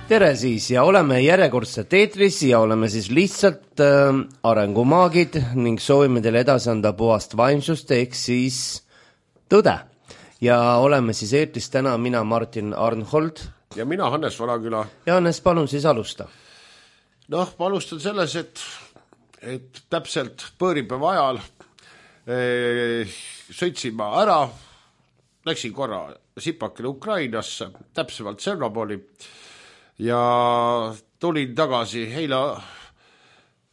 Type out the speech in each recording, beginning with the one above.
Tere siis ja oleme järjekordselt eetris ja oleme siis lihtsalt arengumaagid ning soovime teile edasi anda puhast vaimsust ehk siis tõde. Ja oleme siis eetris täna mina Martin Arnhold. Ja mina Hannes Valaküla. Ja Hannes, palun siis alusta. Ma alustan selles, et täpselt põõripäeva ajal sõitsin ma ära, läksin korra sipakile Ukrainasse, täpsemalt Tšernobõli. Ja tulin tagasi eile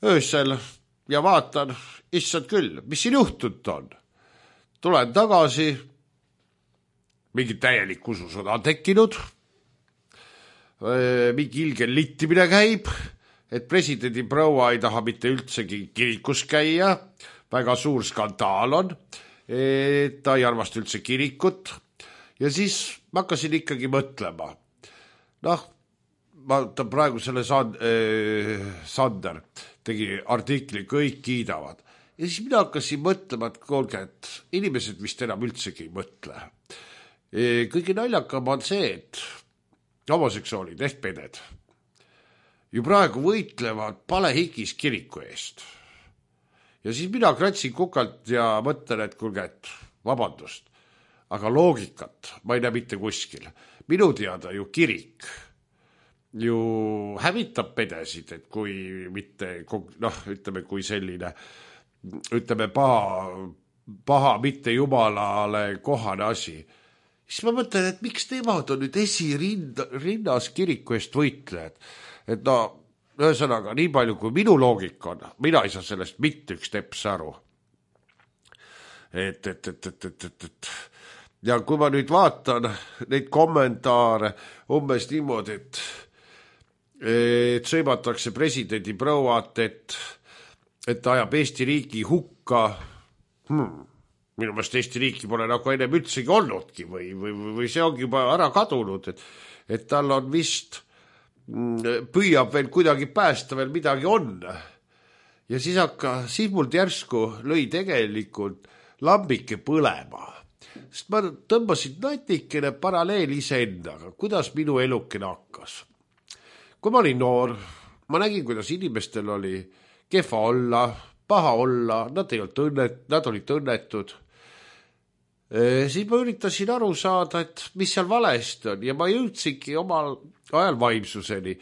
öösel ja vaatan, issand küll, mis siin juhtunud on. Tulen tagasi, mingi täielik ususõda tekkinud, mingi ilge littimine käib, et presidendi proua ei taha mitte üldsegi kirikus käia, väga suur skandaal on, et ta ei armasta üldse kirikut ja siis ma hakkasin ikkagi mõtlema. Ta praegu selle Sander tegi artikli, kõik kiidavad. Ja siis mina hakkasin mõtlema, et kuulge, et inimesed vist enam üldsegi ei mõtle. Kõige naljakam on see, et homoseksuaalid ehk peded ju praegu võitlevad palehigis kiriku eest. Ja siis mina kratsin kukalt ja mõtlen, et kuulge, et vabandust, aga loogikat ma ei näe mitte kuskil. Minu teada ju kirik ju hävitab pedesid, et kui mitte, ütleme, kui selline, ütleme, paha mitte jumalale kohane asi. Siis ma mõtlen, et miks nemad on nüüd esirinnas kiriku eest võitlejad. Et ühesõnaga, nii palju kui minu loogika on, mina ei saa sellest mitte üks teps aru. Ja kui ma nüüd vaatan neid kommentaare umbes niimoodi, et sõimatakse presidendi prouat, et ajab Eesti riigi hukka. Minu meelest Eesti riiki pole nagu ennem üldsegi olnudki või see ongi juba ära kadunud, et tal on vist püüab veel kuidagi päästa, veel midagi on. Ja siis mul järsku lõi tegelikult lambike põlema. Sest ma tõmbasin natikene paralleel iseendaga, kuidas minu elukene hakkas. Kui ma olin noor, ma nägin, kuidas inimestel oli kehva olla, paha olla, nad olid õnnetud. Siis ma üritasin aru saada, et mis seal valesti on ja ma jõudsingi omal ajal vaimsuseni.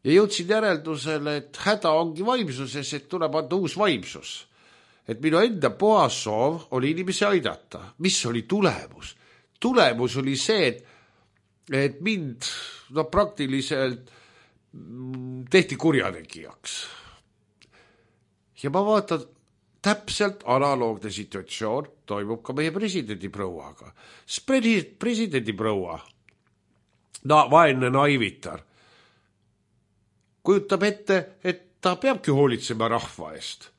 Ja jõudsin järeldusele, et häda ongi vaimsuses, et tuleb anda uus vaimsus. Et minu enda puhas soov oli inimesi aidata. Mis oli tulemus? Tulemus oli see, et mind praktiliselt tehti kurjategijaks. Ja ma vaatan, täpselt analoogne situatsioon toimub ka meie presidendi prouaga. Presidendi proua, vaene naivitar, kujutab ette, et ta peabki hoolitsema rahva eest.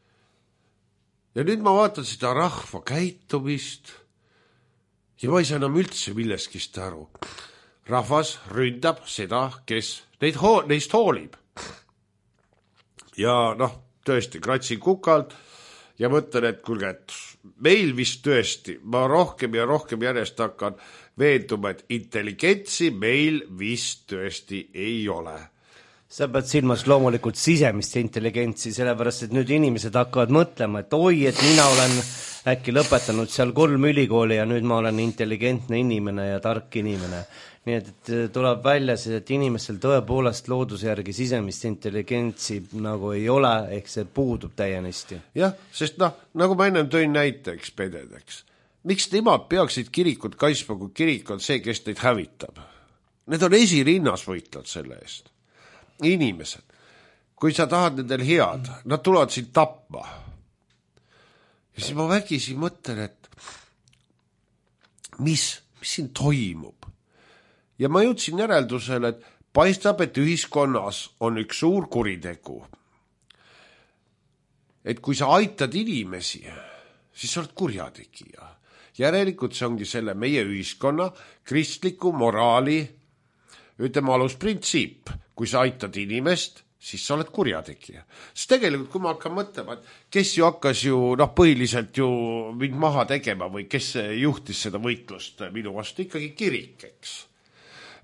Ja nüüd ma vaatan seda rahva käitumist ja ma ei saa enam üldse milleskist aru. Rahvas ründab seda, kes neist hoolib. Ja tõesti, kratsin kukalt ja mõtlen, et kuulge, et meil vist tõesti, ma rohkem ja rohkem järjest hakkan veenduma, et intelligentsi meil vist tõesti ei ole. Sa pead silmas loomulikult sisemist intelligentsi, sellepärast, et nüüd inimesed hakkavad mõtlema, et oi, et mina olen äkki lõpetanud seal 3 ülikooli ja nüüd ma olen intelligentne inimene ja tark inimene. Nii et tuleb välja, et inimestel tõepoolest looduse järgi sisemist intelligentsi nagu ei ole, ehk see puudub täienisti. Jah, sest nagu ma ennem tõin näiteks pededeks. Miks nemad peaksid kirikut kaitsma, kui kirik on see, kes neid hävitab? Need on esirinnas võitlad selle eest. Inimesed, kui sa tahad nendel head, nad tulevad sind tapma. Ja siis ma vägisi mõtlen, et mis siin toimub? Ja ma jõudsin järeldusele, et paistab, et ühiskonnas on üks suur kuritegu. Et kui sa aitad inimesi, siis sa oled kurjategija. Järelikult see ongi selle meie ühiskonna kristliku moraali, ütleme, alusprintsiip. Kui sa aitad inimest, siis sa oled kurjategija. Sest tegelikult, kui ma hakkan mõtlema, et kes ju hakkas põhiliselt ju mind maha tegema või kes juhtis seda võitlust minu vastu, ikkagi kirik, eks.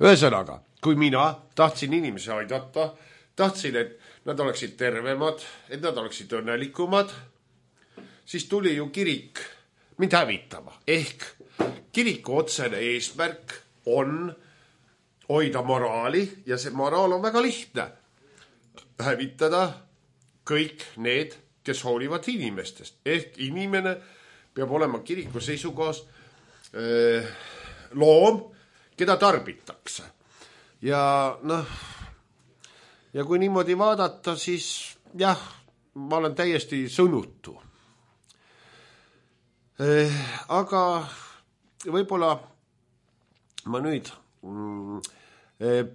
Ühesõnaga, kui mina tahtsin inimesi aidata, tahtsin, et nad oleksid tervemad, et nad oleksid õnnelikumad, siis tuli ju kirik mind hävitama. Ehk kiriku otsene eesmärk on hoida moraali ja see moraal on väga lihtne. Hävitada kõik need, kes hoolivad inimestest. Ehk inimene peab olema kiriku seisukohas loom, keda tarbitakse. Ja kui niimoodi vaadata, siis jah, ma olen täiesti sõnutu. Aga võib-olla ma nüüd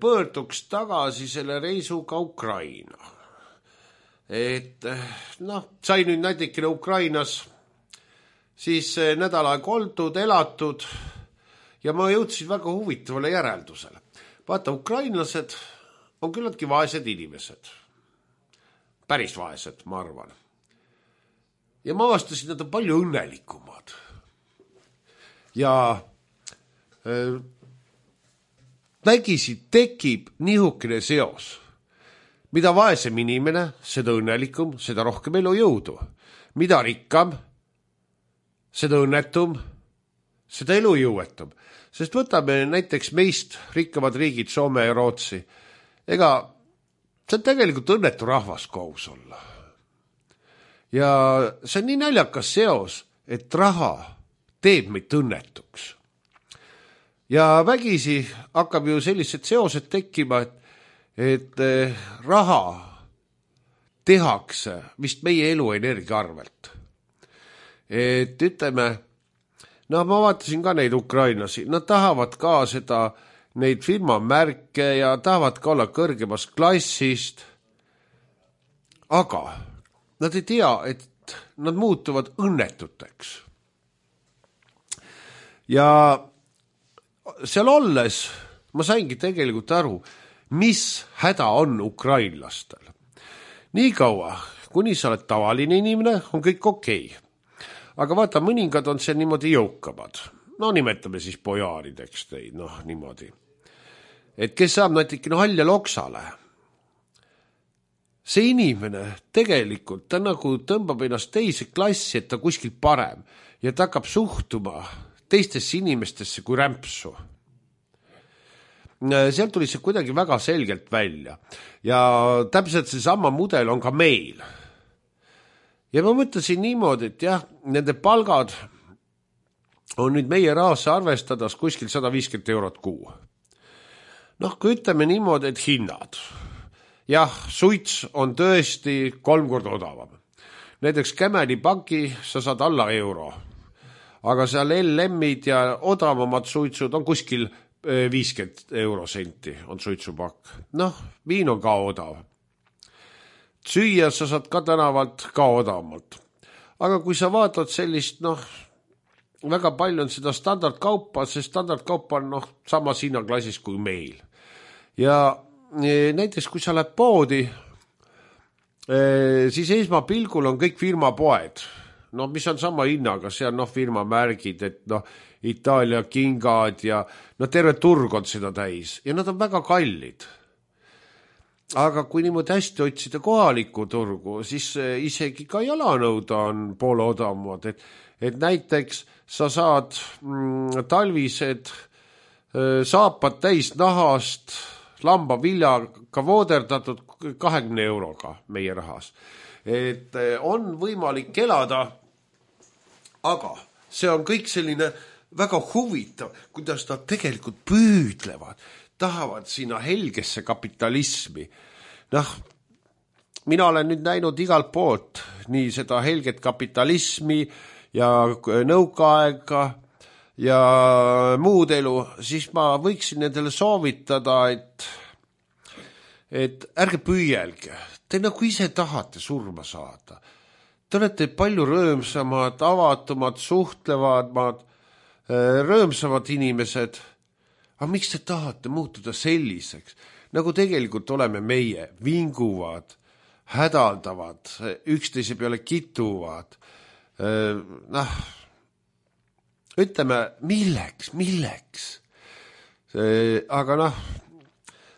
pöörduks tagasi selle reisuga Ukraina. Et sai nüüd näitikene Ukrainas, siis nädal aeg oldud, elatud ja ma jõudsin väga huvitavale järeldusele. Vaata, ukrainlased on küllaltki vaesed inimesed. Päris vaesed, ma arvan. Ja ma avastasin, nad on palju õnnelikumad. Ja vägisi tekib nihukene seos. Mida vaesem inimene, seda õnnelikum, seda rohkem elujõudu. Mida rikkam, seda õnnetum, seda elujõuetum. Sest võtame näiteks meist rikkamad riigid, Soome ja Rootsi. Ega see on tegelikult õnnetu rahvas kohus olla. Ja see on nii naljakas seos, et raha teeb meid õnnetuks. Ja vägisi hakkab ju sellised seosed tekkima, et raha tehakse vist meie eluenergia arvelt. Et ütleme, ma vaatasin ka neid ukrainlasi, nad tahavad ka neid firmamärke ja tahavad ka olla kõrgemast klassist, aga nad ei tea, et nad muutuvad õnnetuteks. Ja seal olles ma saingi tegelikult aru, mis häda on ukrainlastel. Nii kaua, kuni sa oled tavaline inimene, on kõik okei. Aga vaata, mõningad on see niimoodi jõukamad. Nimetame siis pojaarideks teid, niimoodi. Et kes saab näitikene halja loksale. See inimene tegelikult, ta nagu tõmbab ennast teise klassi, et ta kuskil parem. Ja ta hakkab suhtuma teistesse inimestesse kui rämpsu. Seal tuli see kuidagi väga selgelt välja. Ja täpselt see sama mudel on ka meil. Ja ma mõtlesin niimoodi, et jah, nende palgad on nüüd meie rahas arvestades kuskil 150 eurot kuu. Kui ütleme niimoodi, et hinnad. Jah, suits on tõesti 3 korda odavam. Näiteks Kämeni paki sa saad alla euro. Aga seal LM-id ja odavamad suitsud on kuskil 50 eurosenti on suitsupakk. Viin on ka odav. Süüa sa saad ka tänavalt ka odavamalt. Aga kui sa vaatad sellist, väga palju on seda standardkaupa, see standardkaupa on samas hinnaklassis kui meil. Ja näiteks kui sa lähed poodi, siis esmapilgul on kõik firmapoed. Mis on sama hinnaga, see on firmamärgid, et Itaalia kingad ja terve turg on seda täis ja nad on väga kallid. Aga kui niimoodi hästi otsida kohalikku turgu, siis isegi ka jalanõud on poole odavamad. Et näiteks sa saad talvised saapad täis nahast, lambaviljaga vooderdatud 20 euroga meie rahas. Et on võimalik elada, aga see on kõik selline väga huvitav, kuidas nad tegelikult püüdlevad. Tahavad sinna helgesse kapitalismi. Mina olen nüüd näinud igalt poolt nii seda helget kapitalismi ja nõukaaega ja muud elu, siis ma võiksin nendele soovitada, et ärge püüelge. Te nagu ise tahate surma saada. Te olete palju rõõmsamad, avatumad, suhtlevamad, rõõmsamad inimesed. Aga miks te tahate muutuda selliseks, nagu tegelikult oleme meie, vinguvad, hädaldavad, üksteise peale kituvad. Ütleme, milleks? Aga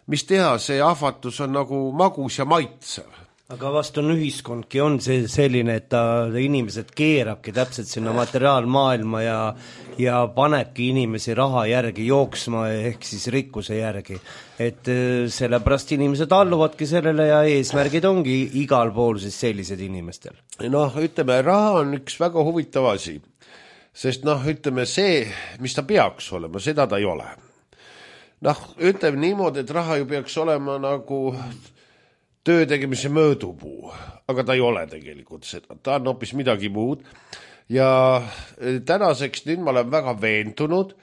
mis teha, see ahvatus on nagu magus ja maitsev. Aga vast on ühiskondki on see selline, et ta inimesed keerabki täpselt sinna materiaalmaailma ja panebki inimesi raha järgi jooksma ehk siis rikkuse järgi. Et sellepärast inimesed alluvadki sellele ja eesmärgid ongi igal pool siis sellised inimestel. Noh, ütleme, raha on üks väga huvitav asi, sest noh, ütleme see, mis ta peaks olema, seda ta ei ole. Noh, ütleme niimoodi, et raha ju peaks olema nagu töö tegemise möödupuu, aga ta ei ole tegelikult seda, ta on hoopis midagi muud ja tänaseks nüüd ma olen väga veendunud,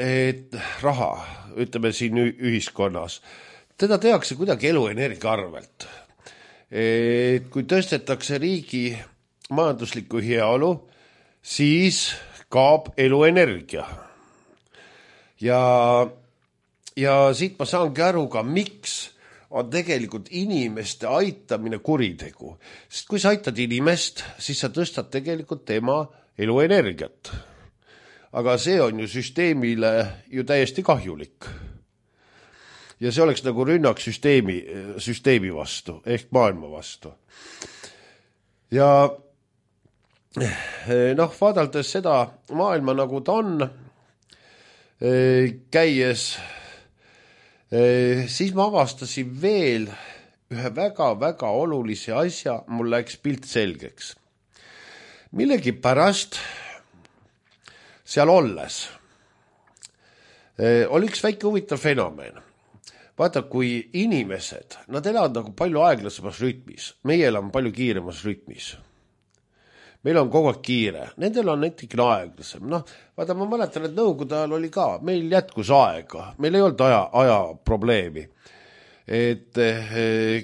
et raha, ütleme siin ühiskonnas, teda tehakse kuidagi eluenergia arvelt. Et kui tõstetakse riigi majanduslikku heaolu, siis kaob eluenergia. Ja siit ma saangi aru ka, miks on tegelikult inimeste aitamine kuritegu. Sest kui sa aitad inimest, siis sa tõstad tegelikult tema eluenergiat. Aga see on ju süsteemile ju täiesti kahjulik. Ja see oleks nagu rünnak süsteemi vastu, ehk maailma vastu. Ja noh, vaadaldes seda maailma nagu ta on, käies siis ma avastasin veel ühe väga-väga olulise asja, mul läks pilt selgeks. Millegi pärast seal olles oli üks väike huvitav fenomen. Vaata, kui inimesed, nad elavad nagu palju aeglasemas rütmis, meie elame palju kiiremas rütmis. Meil on kogu aeg kiire, nendel on näitikene aeglasem. Noh, vaata, ma mäletan, et nõukogude ajal oli ka, meil jätkus aega, meil ei olnud aja probleemi. Et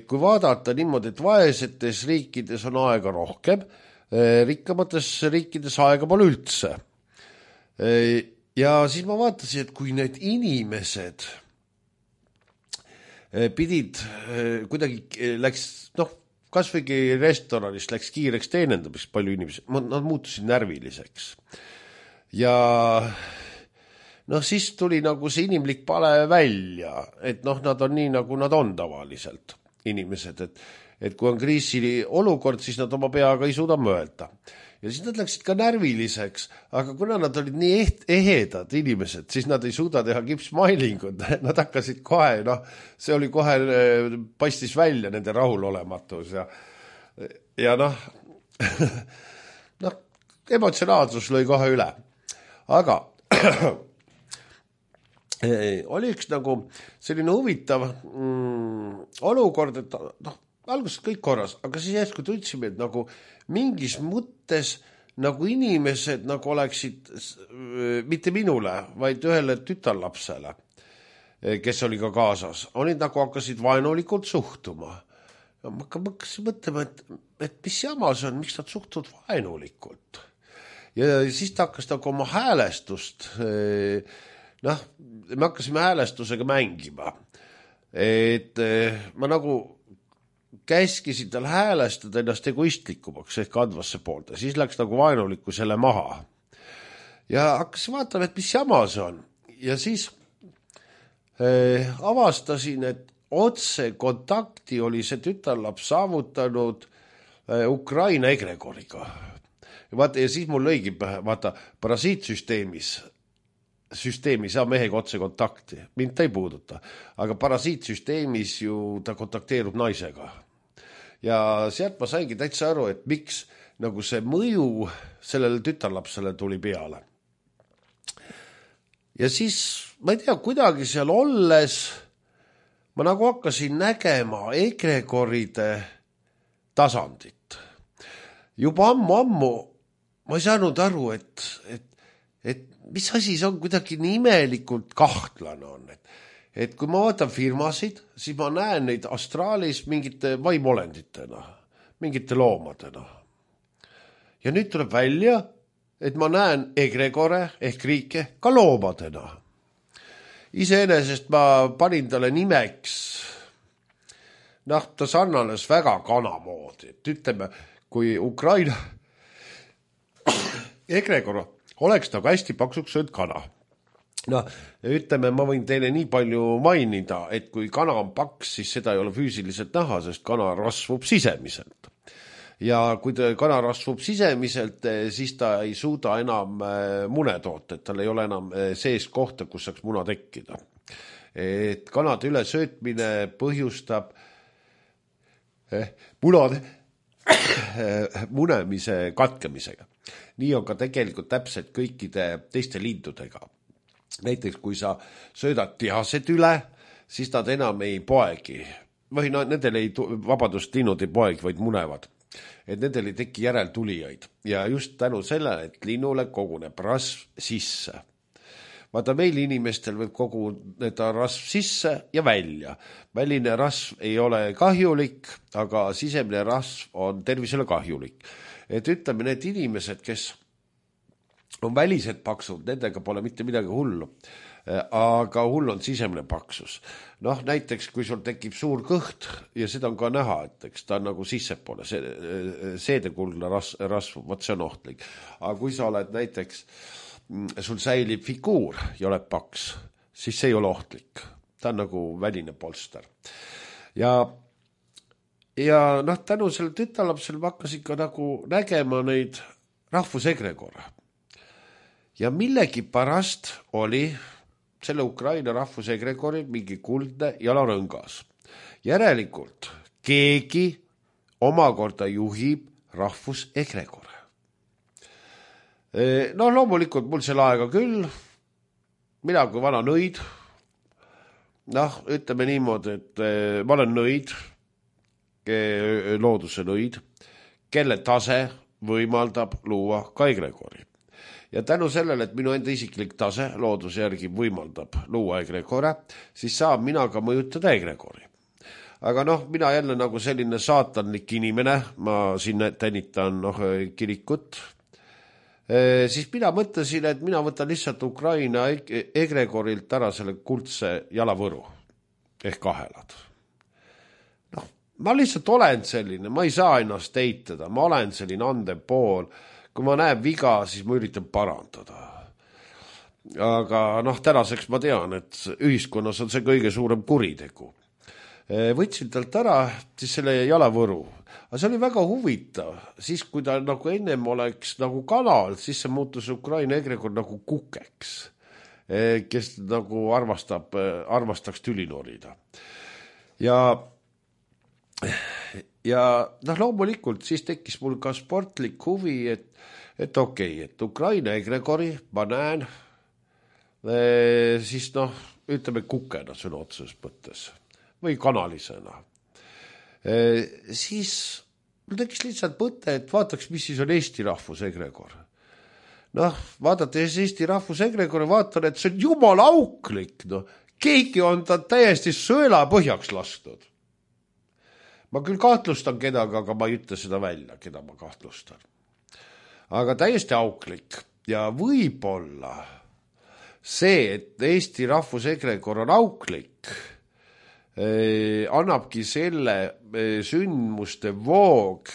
kui vaadata niimoodi, et vaesetes riikides on aega rohkem, rikkamates riikides aega pole üldse. Ja siis ma vaatasin, et kui need inimesed pidid kuidagi läks, noh, kas võigi restoranist läks kiireks teenendamiseks palju inimesi, nad muutusid närviliseks. Ja noh, siis tuli nagu see inimlik pale välja, et noh, nad on nii, nagu nad on tavaliselt inimesed, et kui on kriisi olukord, siis nad oma peaga ei suuda mõelda. Ja siis nad läksid ka närviliseks, aga kuna nad olid nii ehedad inimesed, siis nad ei suuda teha kipsmailingut. Nad hakkasid kohe, noh, see oli kohe, paistis välja nende rahulolematus ja noh, emotsionaalsus lõi kohe üle. Aga oli üks nagu selline huvitav olukord, et noh, alguses kõik korras, aga siis järsku tundsin, et nagu mingis mõttes nagu inimesed nagu oleksid mitte minule, vaid ühele tütarlapsele, kes oli ka kaasas, olid nagu hakkasid vaenulikult suhtuma. Ja ma hakkasin mõtlema, et mis jama see on, miks nad suhtuvad vaenulikult. Ja siis ta hakkas nagu oma häälestust, noh, me hakkasime häälestusega mängima. Et ma nagu käskisid tal häälestada ennast egoistlikumaks ehk andvasse poolt ja siis läks nagu vaenulikku selle maha. Ja hakkasin vaatama, et mis jama see on. Ja siis avastasin, et otse kontakti oli see tütarlaps saavutanud Ukraina egregoriga. Ja siis mul lõigi, vaata, parasiitsüsteemis saa mehega otse kontakti. Mind ta ei puuduta. Aga parasiitsüsteemis ju ta kontakteerub naisega. Ja sealt ma saingi täitsa aru, et miks nagu see mõju sellele tütarlapsele tuli peale. Ja siis, ma ei tea, kuidagi seal olles ma nagu hakkasin nägema egregoride tasandit. Juba ammu ma ei saanud aru, et mis asi see on kuidagi nii imelikult kahtlane on, et kui ma vaatan firmasid, siis ma näen neid astraalis mingite vaimolenditena, mingite loomadena. Ja nüüd tuleb välja, et ma näen egregore ehk riike ka loomadena. Iseenesest ma panin talle nimeks, noh, ta sarnanes väga kanamoodi, et ütleme, kui Ukraina egregor oleks nagu hästi paksuks söönud kana. No, ütleme, ma võin teile nii palju mainida, et kui kana on paks, siis seda ei ole füüsiliselt näha, sest kana rasvub sisemiselt. Ja kui kana rasvub sisemiselt, siis ta ei suuda enam mune toota, et tal ei ole enam sees kohta, kus saaks muna tekkida. Et kanade ülesöötmine põhjustab munade munemise katkemisega. Nii on ka tegelikult täpselt kõikide teiste lindudega. Näiteks kui sa söödad tihased üle, siis nad enam ei poegi. Või nendel linnud ei poegi, vaid munevad. Et nendel ei teki järeltulijaid. Ja just tänu sellele, et linnule koguneb rasv sisse. Vaata, meil inimestel võib koguneda rasv sisse ja välja. Väline rasv ei ole kahjulik, aga sisemine rasv on tervisele kahjulik. Et ütleme, need inimesed, kes on välised paksud, nendega pole mitte midagi hullu, aga hull on sisemine paksus. Noh, näiteks kui sul tekib suur kõht ja seda on ka näha, et eks ta on nagu sissepoole, seedekuldne rasv, võt see on ohtlik. Aga kui sa oled näiteks, sul säilib figuur ja oled paks, siis see ei ole ohtlik. Ta on nagu väline polster. Ja noh, tänu selle tütarlapsele ma hakkasin ka nagu nägema neid rahvusegregore. Ja millegi pärast oli selle Ukraina rahvusegregori mingi kuldne jalarõngas. Järelikult keegi omakorda juhib rahvusegregore. No loomulikult mul selle aega küll, mina kui vana nõid, noh, ütleme niimoodi, et ma olen nõid, looduse nõid, kelle tase võimaldab luua ka egregori. Ja tänu sellele, et minu enda isiklik tase looduse järgi võimaldab luua egregore, siis saab mina ka mõjutada egregori. Aga noh, mina jälle nagu selline saatanlik inimene, ma siin tänitan kirikut, siis mina mõtlesin, et mina võtan lihtsalt Ukraina egregorilt ära selle kuldse jalavõru ehk kahelad. Noh, ma lihtsalt olen selline, ma ei saa ennast eitada, ma olen selline andev pool. Kui ma näen viga, siis ma üritan parandada. Aga noh, tänaseks ma tean, et ühiskonnas on see kõige suurem kuritegu. Võtsin talt ära siis selle jalavõru. Aga see oli väga huvitav. Siis kui ta nagu ennem oleks nagu kanal, siis see muutus Ukraina egregor nagu kukeks, kes nagu armastaks tüli norida. Ja noh, loomulikult siis tekkis mul ka sportlik huvi, et okei, et Ukraina egregori ma näen siis noh, ütleme kukena sõna otseses mõttes või kanalisena. Siis mul tekkis lihtsalt mõte, et vaataks, mis siis on Eesti rahvusegregor. Noh, vaadates Eesti rahvusegregori, vaatan, et see on jumala auklik. No. Keegi on ta täiesti sõela põhjaks lastud. Ma küll kahtlustan kedagi, aga ma ei ütle seda välja, keda ma kahtlustan. Aga täiesti auklik ja võib-olla see, et Eesti rahvusegregor on auklik, annabki selle sündmuste voog,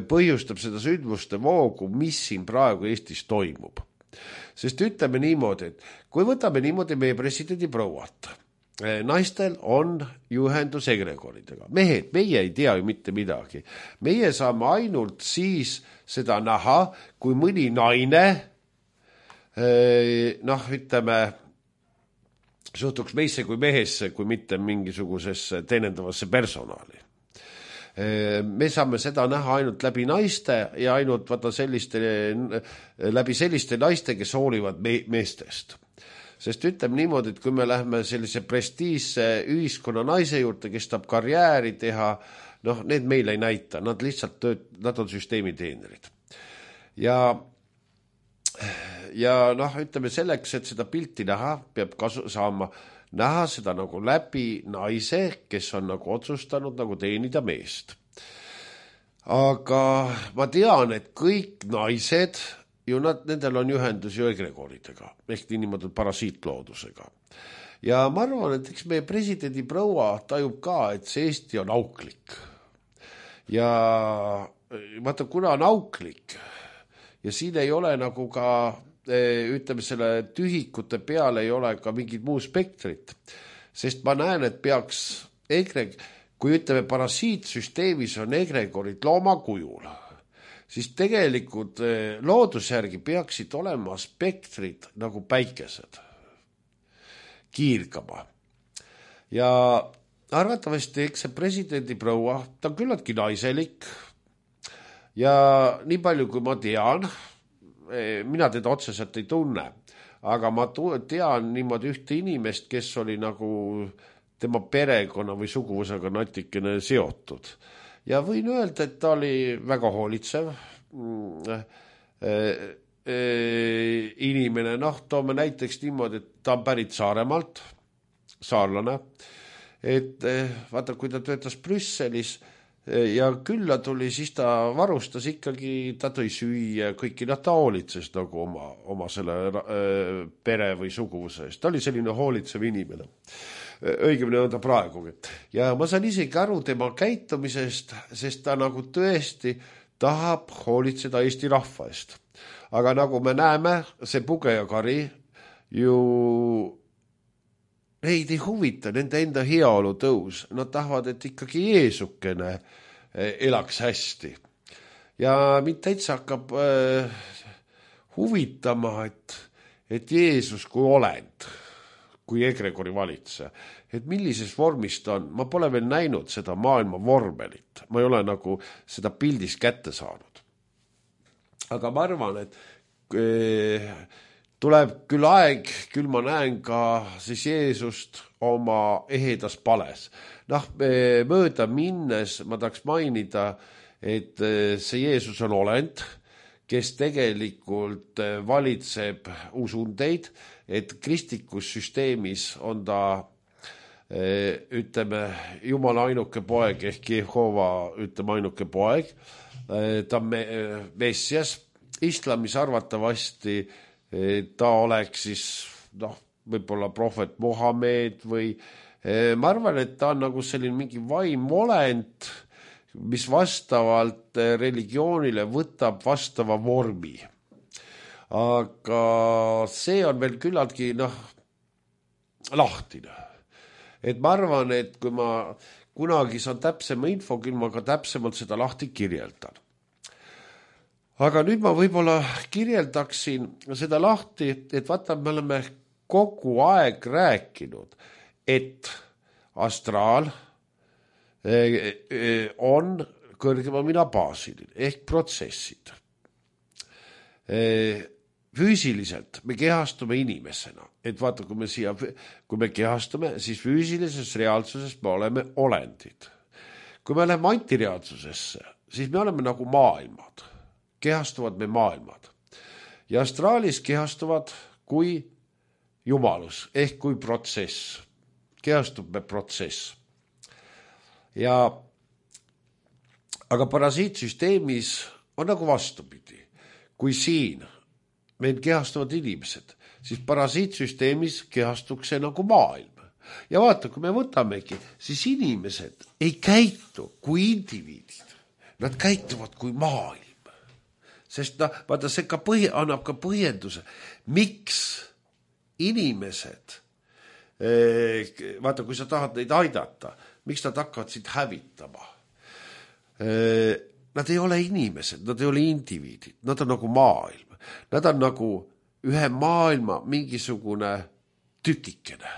põhjustab seda sündmuste voogu, mis siin praegu Eestis toimub. Sest ütleme niimoodi, et kui võtame niimoodi meie presidendi prouat, naistel on juhendus egregoridega. Mehed, meie ei tea ju mitte midagi. Meie saame ainult siis seda näha, kui mõni naine, noh, ütleme, suhtuks meisse kui mehesse, kui mitte mingisugusesse teenendavasse personaali. Me saame seda näha ainult läbi naiste ja ainult läbi selliste naiste, kes hoolivad meestest. Sest ütleme niimoodi, et kui me lähme sellise prestiisse ühiskonna naise juurde, kes tahab karjääri teha, noh, need meil ei näita, nad lihtsalt nad on süsteemi teenerid. Ja noh, ütleme selleks, et seda pilti näha, peab saama näha seda nagu läbi naise, kes on nagu otsustanud nagu teenida meest. Aga ma tean, et kõik naised ju nendel on ühendus ju egregoridega, ehk niimoodi parasiitloodusega. Ja ma arvan, et eks meie presidendi proua tajub ka, et see Eesti on auklik. Ja vaata, kuna on auklik ja siin ei ole nagu ka ütleme, selle tühikute peal ei ole ka mingit muu spektrit, sest ma näen, et peaks kui ütleme, parasiitsüsteemis on egregorid looma kujul, siis tegelikult loodusjärgi peaksid olema spektrid nagu päikesed, kiirgama. Ja arvatavasti, eks see presidendi proua, ta on küllaltki naiselik ja nii palju, kui ma tean, mina teda otseselt ei tunne, aga ma tean niimoodi ühte inimest, kes oli nagu tema perekonna või suguvusega natikene seotud. Ja võin öelda, et ta oli väga hoolitsev inimene, toome näiteks niimoodi, et ta on pärit Saaremaalt, saarlane, et vaata, kui ta töötas Brüsselis ja külla tuli, siis ta varustas ikkagi, ta tõi süüa kõiki, ta hoolitses nagu oma selle pere või suguvuse eest. Ta oli selline hoolitsev inimene. Õigemini on ta praegugi. Ja ma saan isegi aru tema käitumisest, sest ta nagu tõesti tahab hoolitseda Eesti rahva eest. Aga nagu me näeme, see Puge ja Kari ju neid ei huvita, nende enda heaolu tõus. Nad tahavad, et ikkagi Jeesukene elaks hästi. Ja mind täitsa hakkab huvitama, et Jeesus kui olend, kui egregori valitse, et millises vormis ta on. Ma pole veel näinud seda maailma vormelit. Ma ei ole nagu seda pildis kätte saanud. Aga ma arvan, et tuleb küll aeg, küll ma näen ka siis Jeesust oma ehedas pales. Mööda minnes ma tahaks mainida, et see Jeesus on olend, kes tegelikult valitseb usundeid, et kristlikus süsteemis on ta, ütleme, Jumala ainuke poeg ehk Jehova, ütleme, ainuke poeg. Ta on Messias, islamis arvatavasti ta oleks siis, võib-olla prohvet Mohamed või ma arvan, et ta on nagu selline mingi vaimolend, mis vastavalt religioonile võtab vastava vormi. Aga see on veel küllaltki lahtine. Et ma arvan, et kui ma kunagi saan täpsema info, küll ma ka täpsemalt seda lahti kirjeldan. Aga nüüd ma võib-olla kirjeldaksin seda lahti, et vaata, me oleme kogu aeg rääkinud, et astraal on kõrgemamina baasiline ehk protsessid. Füüsiliselt me kehastume inimesena, et vaata, kui me kehastume, siis füüsilises reaalsuses me oleme olendid. Kui me oleme antireaalsusesse, siis me oleme nagu maailmad. Kehastuvad me maailmad. Ja astraalis kehastuvad kui jumalus ehk kui protsess. Kehastub me protsess. Aga parasiitsüsteemis on nagu vastupidi. Kui siin meil kehastuvad inimesed, siis parasiitsüsteemis kehastuks see nagu maailm. Ja vaata, kui me võtamegi, siis inimesed ei käitu kui indiviidid. Nad käituvad kui maailm. Sest vaata, see annab ka põhjenduse, miks inimesed, vaata, kui sa tahad neid aidata, miks nad hakkavad sind hävitama. Nad ei ole inimesed, nad ei ole indiviidid, nad on nagu maailm. Nad on nagu ühe maailma mingisugune tükikene.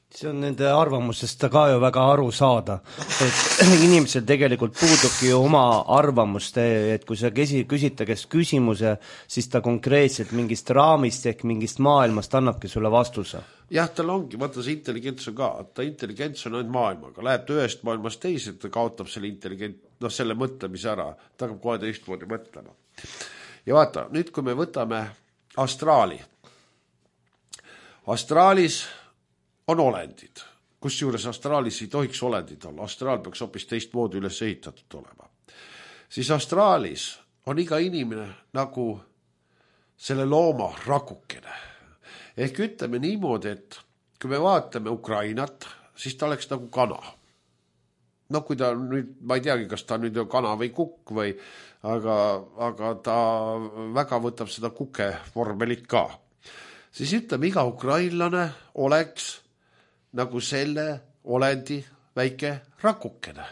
See on nende arvamusest ka ju väga aru saada, et inimesel tegelikult puudubki ju oma arvamust, et kui sa küsid ta käest küsimuse, siis ta konkreetselt mingist raamist ehk mingist maailmast annabki sulle vastuse. Jah, tal ongi, vaata see intelligents on ka, ta intelligents on ainult maailmaga, läheb ta ühest maailmast teise, ta kaotab selle selle mõtlemise ära, ta hakkab kohe teistmoodi mõtlema. Ja vaata, nüüd kui me võtame astraali. Astraalis on olendid, kusjuures astraalis ei tohiks olendid olla, astraal peaks hoopis teistmoodi üles ehitatud olema. Siis astraalis on iga inimene nagu selle looma rakukene. Ehk ütleme niimoodi, et kui me vaatame Ukrainat, siis ta oleks nagu kana. no kui ta nüüd, ma ei teagi, kas ta nüüd on kana või kukk või, aga ta väga võtab seda kuke vormelit ka. Siis ütleme, iga ukrainlane oleks nagu selle olendi väike rakukene.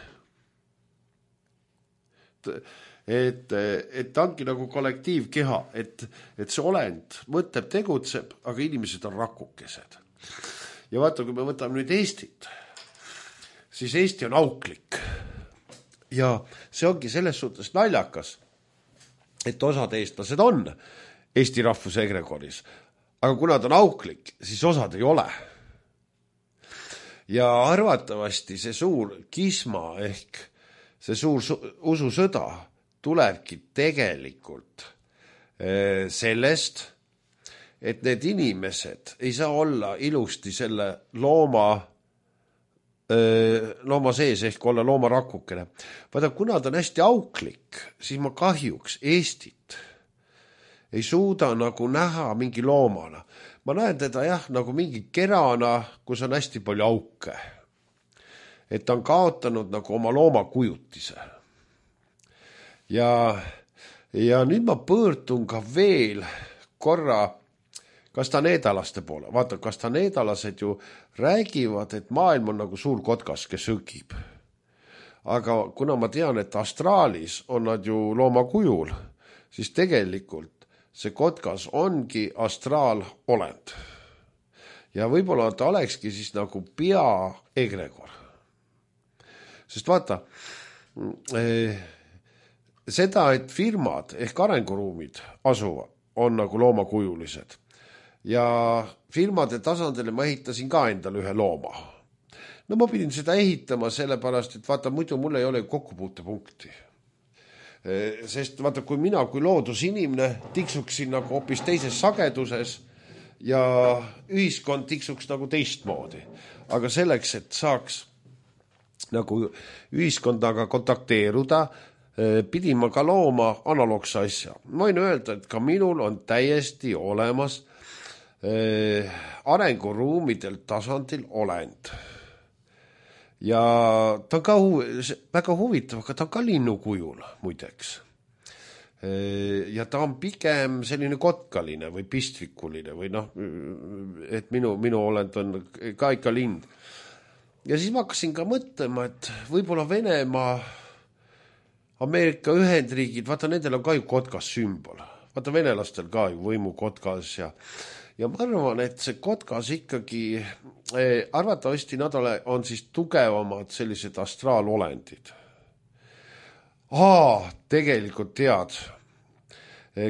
Et ta ongi nagu kollektiivkeha, et see olend mõtleb, tegutseb, aga inimesed on rakukesed. Ja vaata, kui me võtame nüüd Eestit, siis Eesti on auklik. Ja see ongi selles suhtes naljakas, et osad eestlased on Eesti rahvuse egregoris, aga kuna ta on auklik, siis osad ei ole. Ja arvatavasti see suur kisma ehk see suur ususõda tulebki tegelikult sellest, et need inimesed ei saa olla ilusti selle looma sees ehk olla loomarakukene. Vaata, kuna ta on hästi auklik, siis ma kahjuks Eestit ei suuda nagu näha mingi loomana. Ma näen teda nagu mingi kerana, kus on hästi palju auke. Et ta on kaotanud nagu oma loomakujutise. Ja nüüd ma pöördun ka veel korra kastaneedalaste poole. Vaata, kastaneedalased ju räägivad, et maailm on nagu suur kotkas, kes õgib. Aga kuna ma tean, et astraalis on nad ju loomakujul, siis tegelikult see kotkas ongi astraalolend. Ja võib-olla ta olekski siis nagu egregor. Sest vaata, seda, et firmad ehk arenguruumid asuvad, on nagu loomakujulised. Ja firmade tasandile ma ehitasin ka endale ühe looma. No ma pidin seda ehitama sellepärast, et vaata, muidu mul ei ole kokkupuutepunkti. Sest vaata, kui mina kui loodusinimene tiksuksin nagu hoopis teises sageduses ja ühiskond tiksuks nagu teistmoodi. Aga selleks, et saaks nagu ühiskondaga kontakteeruda, pidin ma ka looma analoogse asja. Ma võin öelda, et ka minul on täiesti olemas arenguruumidel tasandil olend. Ja ta on ka väga huvitav, aga ta on ka linnukujul muideks. Ja ta on pigem selline kotkaline või pistvikuline või et minu olend on ka ikka lind. Ja siis ma hakkasin ka mõtlema, et võib-olla Venemaa, Ameerika Ühendriigid, vaata nendel on ka ju kotkas sümbol. Vaata venelastel ka ju võimu kotkas ja ma arvan, et see kotkas ikkagi, arvatavasti nad on siis tugevamad sellised astraalolendid. Tegelikult tead,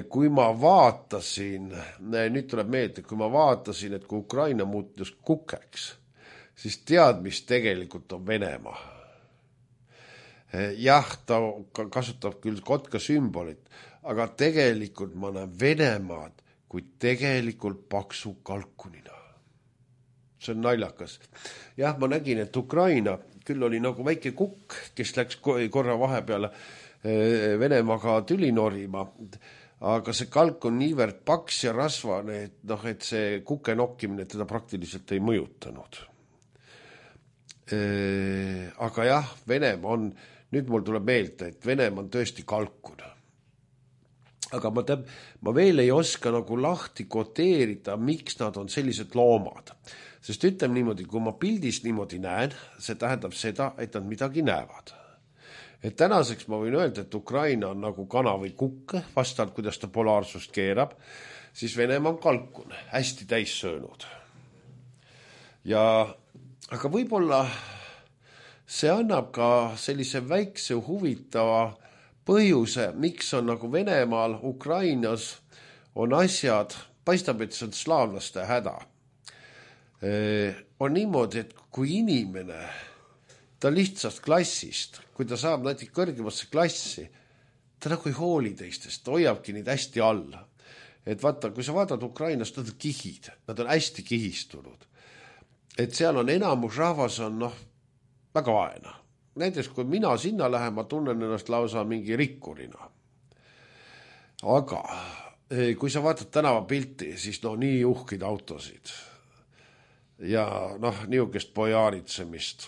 kui ma vaatasin, nüüd tuleb meelde, kui ma vaatasin, et kui Ukraina muutus kukeks, siis tead, mis tegelikult on Venemaa. Jah, ta kasutab küll kotka sümbolit, aga tegelikult ma näen Venemaad kui tegelikult paksu kalkunina. See on naljakas. Jah, ma nägin, et Ukraina küll oli nagu väike kukk, kes läks korra vahepeal Venemaaga tüli norima, aga see kalk on niivõrd paks ja rasvane, et see kuke nokkimine teda praktiliselt ei mõjutanud. Aga jah, Venemaa on, nüüd mul tuleb meelde, et Venemaa on tõesti kalkuna. Aga ma veel ei oska nagu lahti koteerida, miks nad on sellised loomad. Sest ütleme niimoodi, kui ma pildis niimoodi näen, see tähendab seda, et nad midagi näevad. Et tänaseks ma võin öelda, et Ukraina on nagu kana või kukk, vastavalt kuidas ta polaarsust keerab, siis Venemaa on kalkun, hästi täis söönud. Aga võib-olla see annab ka sellise väikse huvitava põhjuse, miks on nagu Venemaal, Ukrainas on asjad, paistab, et see on slaavlaste häda. On niimoodi, et kui inimene, ta lihtsast klassist, kui ta saab näiteks kõrgemasse klassi, ta nagu ei hooli teistest, ta hoiabki neid hästi alla. Et vaata, kui sa vaatad Ukrainast, nad on kihid, nad on hästi kihistunud. Et seal on enamus rahvas on väga vaena. Näiteks, kui mina sinna lähen, ma tunnen ennast lausa mingi rikkurina. Aga kui sa vaatad tänavapilti, siis nii uhkid autosid ja niisugust pojaaritsemist.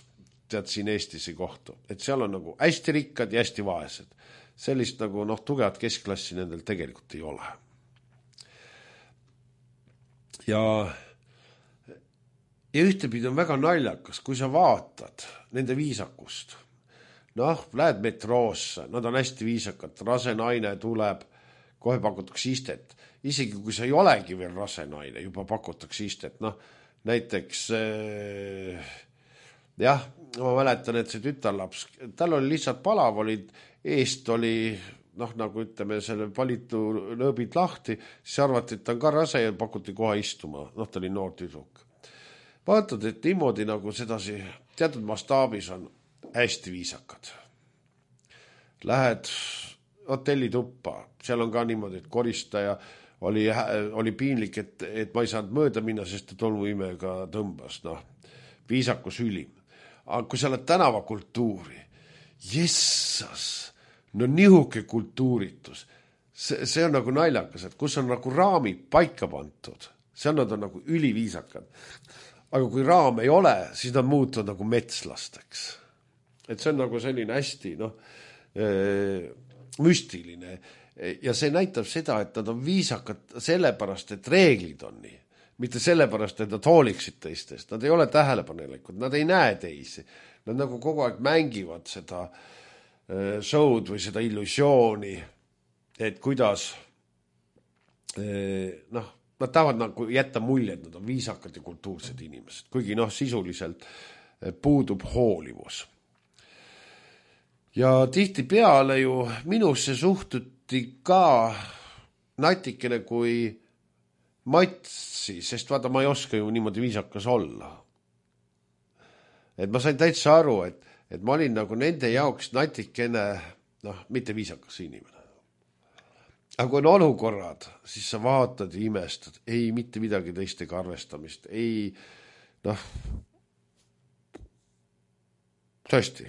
tead siin Eestis ei kohtu. Et seal on nagu hästi rikkad ja hästi vaesed. Sellist nagu tugevat keskklassi nendel tegelikult ei ole. Ja ühtepidi on väga naljakas, kui sa vaatad nende viisakust. Lähed metroosse, nad on hästi viisakad, rase naine tuleb, kohe pakutakse istet. Isegi kui sa ei olegi veel rase naine, juba pakutakse istet. Näiteks, ma mäletan, et see tütarlaps, tal oli lihtsalt palav, eest oli, nagu ütleme, selle valitu lõõbid lahti, siis arvati, et ta on ka rase ja pakuti kohe istuma. Ta oli noor tüdruk. Vaatad, et niimoodi nagu sedasi teatud mastaabis on hästi viisakad. Lähed hotellituppa, seal on ka niimoodi, et koristaja oli piinlik, et ma ei saanud mööda minna, sest tolmuimega tõmbas. Viisakus ülim. Aga kui sa oled tänavakultuuri, jessas, nihuke kultuuritus. See on nagu naljakas, et kus on nagu raamid paika pantud. Seal nad on nagu üliviisakad. Aga kui raam ei ole, siis nad muutuvad nagu metslasteks. Et see on nagu selline hästi müstiline. Ja see näitab seda, et nad on viisakad sellepärast, et reeglid on nii. Mitte sellepärast, et nad hooliksid teistest. Nad ei ole tähelepanelikud, nad ei näe teisi. Nad nagu kogu aeg mängivad seda show'd või seda illusiooni, et kuidas nad tahavad nagu jätta mulje, et nad on viisakad ja kultuursed inimesed, kuigi sisuliselt puudub hoolivus. Ja tihti peale ju minusse suhtuti ka natikene kui matsi, sest vaata, ma ei oska ju niimoodi viisakas olla. Et ma sain täitsa aru, et ma olin nagu nende jaoks natikene, mitte viisakas inimene. Aga kui on olukorrad, siis sa vaatad ja imestad. Ei, mitte midagi teistega arvestamist. Ei, tõesti.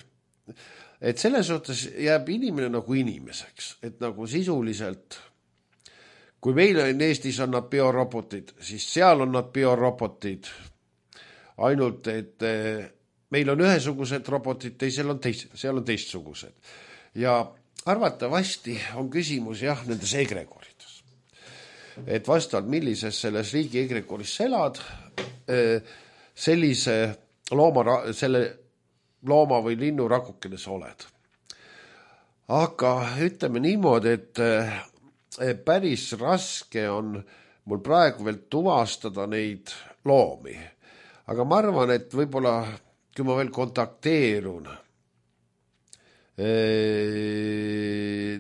Et selles suhtes jääb inimene nagu inimeseks. Et nagu sisuliselt, kui meil on Eestis on nad biorobotid, siis seal on nad biorobotid. Ainult, et meil on ühesugused robotid, teisel on seal on teistsugused. Ja arvatavasti on küsimus nendes egregorides. Et vastavalt millises selles riigi egregoris elad, sellise selle looma või linnu rakukene sa oled. Aga ütleme niimoodi, et päris raske on mul praegu veel tuvastada neid loomi. Aga ma arvan, et võib-olla, kui ma veel kontakteerun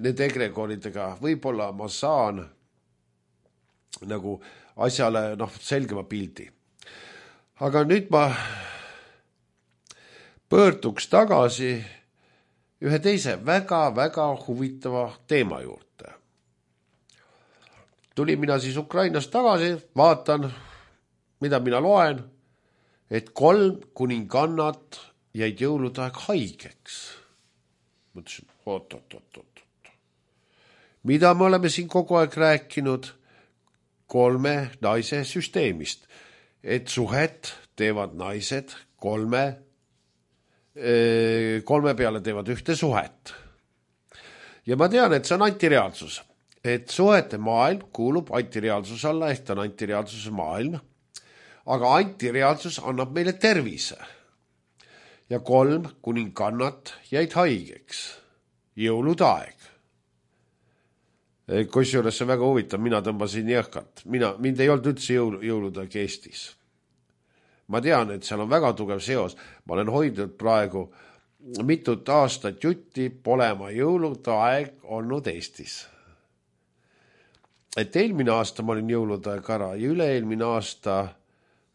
nende egregoridega, võib-olla ma saan nagu asjale selgema pildi. Aga nüüd ma pöörduks tagasi ühe teise väga-väga huvitava teema juurde. Tulin mina siis Ukrainast tagasi, vaatan, mida mina loen, et 3 kuningannat jäid jõulude aeg haigeks. Mõtlesin, oot. Mida me oleme siin kogu aeg rääkinud 3 naise süsteemist, et suhet teevad naised 3 peale teevad ühte suhet. Ja ma tean, et see on antireaalsus, et suhete maailm kuulub antireaalsuse alla, ehk ta on antireaalsuse maailm, aga antireaalsus annab meile tervise. Ja 3 kuningannat jäid haigeks. Jõulude aeg. Kusjuures see väga huvitav, mina tõmbasin jõhkalt. Mind ei olnud üldse jõulude aeg Eestis. Ma tean, et seal on väga tugev seos. Ma olen hoidnud praegu mitut aastat jutti, pole ma jõulude aeg olnud Eestis. Et eelmine aasta ma olin jõulude aeg ära ja üle-eelmine aasta,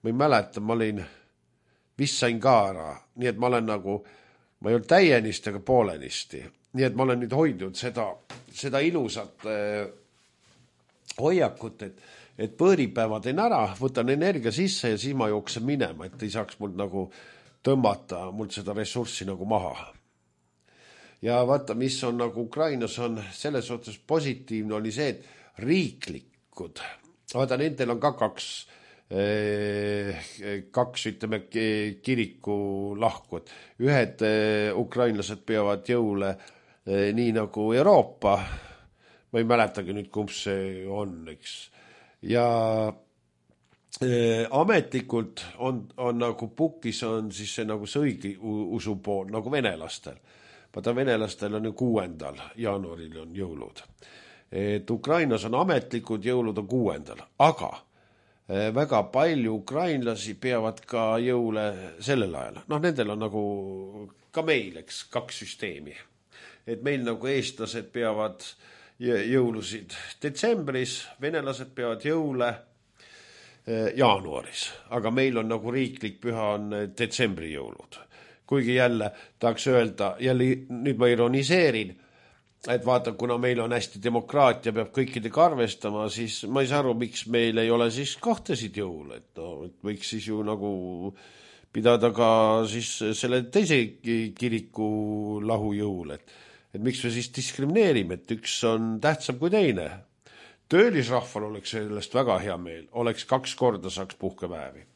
ma ei mäleta, ma olin vist sain ka ära, nii et ma olen nagu, ma ei olnud täienisti, aga poolenisti. Nii et ma olen nüüd hoidnud seda ilusat hoiakut, et põõripäeva teen ära, võtan energia sisse ja siis ma jooksen minema, et ei saaks mul nagu tõmmata mul seda ressurssi nagu maha. Ja vaata, mis on nagu Ukrainas on selles suhtes positiivne oli see, et riiklikud, vaata, nendel on ka 2 kaks, ütleme, kiriku lahkud. Ühed ukrainlased peavad jõule nii nagu Euroopa, ma ei mäletagi nüüd, kumb see on, eks. Ja ametlikult on nagu pukis on siis see nagu see õige usu pool, nagu venelastel. Vaata, venelastel on ju 6. jaanuaril on jõulud. Et Ukrainas on ametlikud jõulud on 6. Aga väga palju ukrainlasi peavad ka jõule sellel ajal. Noh, nendel on nagu ka meil, eks, 2 süsteemi. Et meil nagu eestlased peavad jõulusid detsembris, venelased peavad jõule jaanuaris. Aga meil on nagu riiklik püha on detsembri jõulud. Kuigi jälle tahaks öelda, jälle nüüd ma ironiseerin, et vaata, kuna meil on hästi demokraatia, peab kõikidega arvestama, siis ma ei saa aru, miks meil ei ole siis kahtesid jõul, et, no, et võiks siis ju nagu pidada ka siis selle teise kiriku lahujõul, et miks me siis diskrimineerime, et üks on tähtsam kui teine. Töölisrahval oleks sellest väga hea meel, oleks 2 korda saaks puhkepäevi.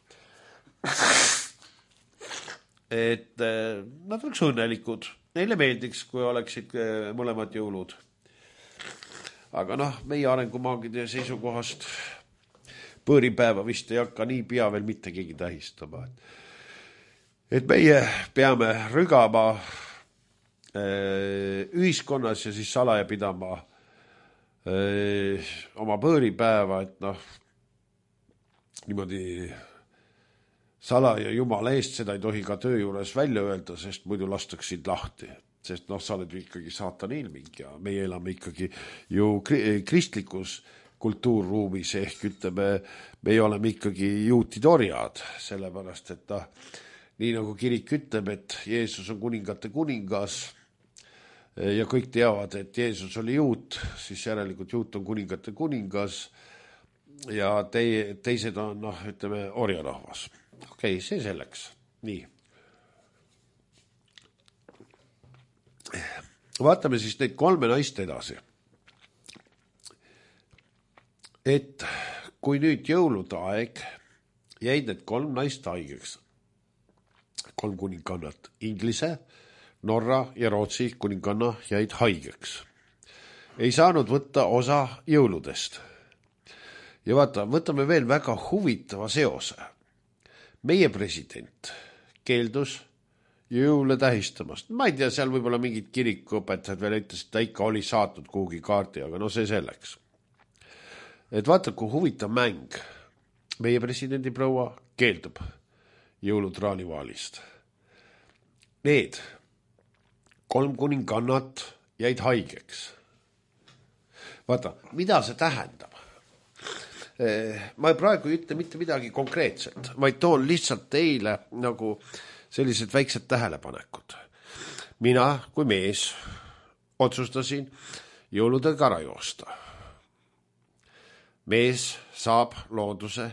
Et nad oleks õnnelikud. Neile meeldiks, kui oleksid mõlemad jõulud. Aga noh, meie arengumaagide seisukohast põõripäeva vist ei hakka nii pea veel mitte keegi tähistama. Et meie peame rügama ühiskonnas ja siis salaja pidama oma põõripäeva, et noh, niimoodi salaja jumala eest, seda ei tohi ka töö juures välja öelda, sest muidu lastaksid lahti. Sest noh, sa oled ikkagi saatani ilming ja meie elame ikkagi ju kristlikus kultuurruumis ehk ütleme, me oleme ikkagi juutidorjad, sellepärast, et nii nagu kirik ütleb, et Jeesus on kuningate kuningas ja kõik teavad, et Jeesus oli juut, siis järelikult juut on kuningate kuningas ja teised on, noh, ütleme, orjarahvas. Okei, see selleks. Nii. Vaatame siis neid 3 naist edasi. Et kui nüüd jõulude aeg jäid need 3 naist haigeks, 3 kuningannat, Inglise, Norra ja Rootsi kuninganna jäid haigeks. Ei saanud võtta osa jõuludest. Ja vaata, võtame veel väga huvitava seose. Meie president keeldus jõule tähistamast. Ma ei tea, seal võib-olla mingid kirikuõpetajad veel ütles, et ta ikka oli saatnud kuhugi kaarti, aga no see selleks. Et vaata, kui huvitav mäng. Meie presidendi proua keeldub jõulutraanivaalist. Need 3 kuningannat jäid haigeks. Vaata, mida see tähendab? Ma praegu ei ütle mitte midagi konkreetset, vaid toon lihtsalt teile nagu sellised väiksed tähelepanekud. Mina kui mees otsustasin jõuludel kara joosta. Mees saab looduse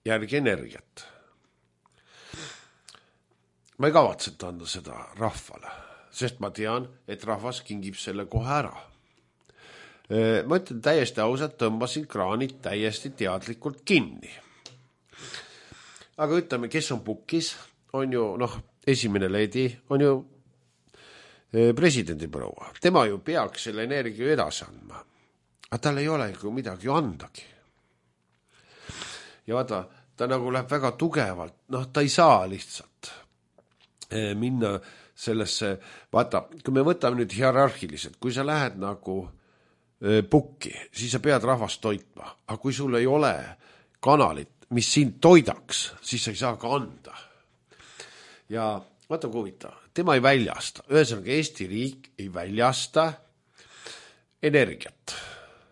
järgi energiat. Ma ei kavatset anda seda rahvale, sest ma tean, et rahvas kingib selle kohe ära. Ma ütlen täiesti ausalt, tõmbasin kraanid täiesti teadlikult kinni. Aga ütleme, kes on pukis, on ju, noh, esimene leedi on ju presidendi proua. Tema ju peaks selle energia edasi andma. Aga tal ei ole ju midagi andagi. Ja vaata, ta nagu läheb väga tugevalt, noh, ta ei saa lihtsalt minna sellesse, vaata, kui me võtame nüüd hierarhiliselt, kui sa lähed nagu pukki, siis sa pead rahvast toitma. Aga kui sul ei ole kanalit, mis sind toidaks, siis sa ei saa ka anda. Ja vaata kui huvitav, tema ei väljasta. Ühesõnaga, Eesti riik ei väljasta energiat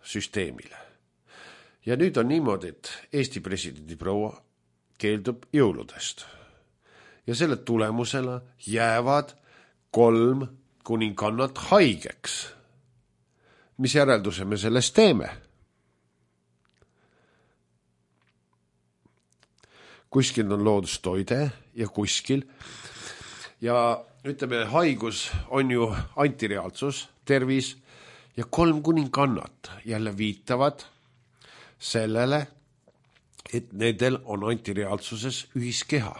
süsteemile. Ja nüüd on niimoodi, et Eesti presidendi proua keeldub jõuludest. Ja selle tulemusena jäävad 3 kuningannat haigeks. Mis järelduse me sellest teeme? Kuskil on loodustoide ja kuskil. Ja ütleme, haigus on ju antireaalsus, tervis ja 3 kuningannat jälle viitavad sellele, et nendel on antireaalsuses ühiskeha.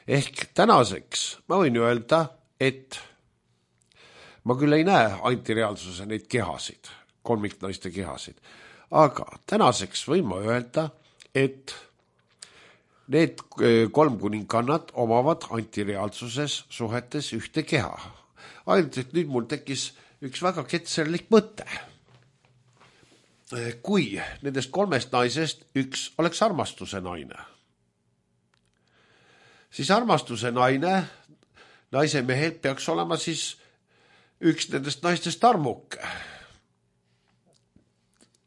Ehk tänaseks ma võin öelda, et ma küll ei näe antireaalsuse neid kehasid, kolmiknaiste kehasid, aga tänaseks võin ma öelda, et need 3 kuningannad omavad antireaalsuses suhetes ühte keha. Ainult, et nüüd mul tekkis üks väga ketserlik mõte. Kui nendest 3 naisest üks oleks armastuse naine, siis armastuse naise mehel peaks olema siis üks nendest naistest armuke.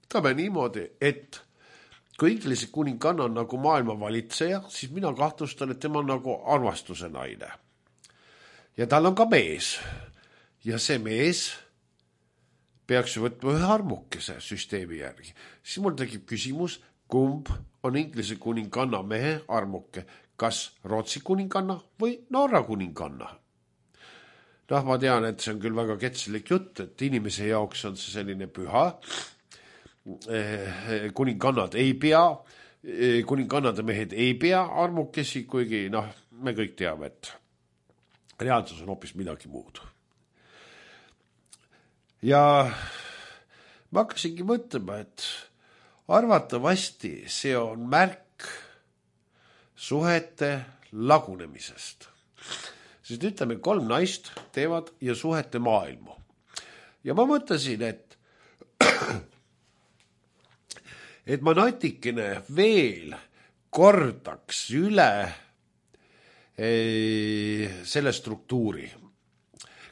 Ütleme niimoodi, et kui Inglise kuninganna on nagu maailma valitseja, siis mina kahtlustan, et tema on nagu armastuse naine. Ja tal on ka mees. Ja see mees peaks ju võtma ühe armukese süsteemi järgi. Siis mul tekib küsimus, kumb on Inglise kuninganna mehe armuke, kas Rootsi kuninganna või Norra kuninganna? Ma tean, et see on küll väga ketselik jutt, et inimese jaoks on see selline püha. Kuningannad ei pea, kuningannade mehed ei pea armukesi, kuigi me kõik teame, et reaalsus on hoopis midagi muud. Ja ma hakkasingi mõtlema, et arvatavasti see on märk suhete lagunemisest. Sest ütleme, 3 naist teevad ja suhete maailmu. Ja ma mõtlesin, et ma natikene veel kordaks üle selle struktuuri,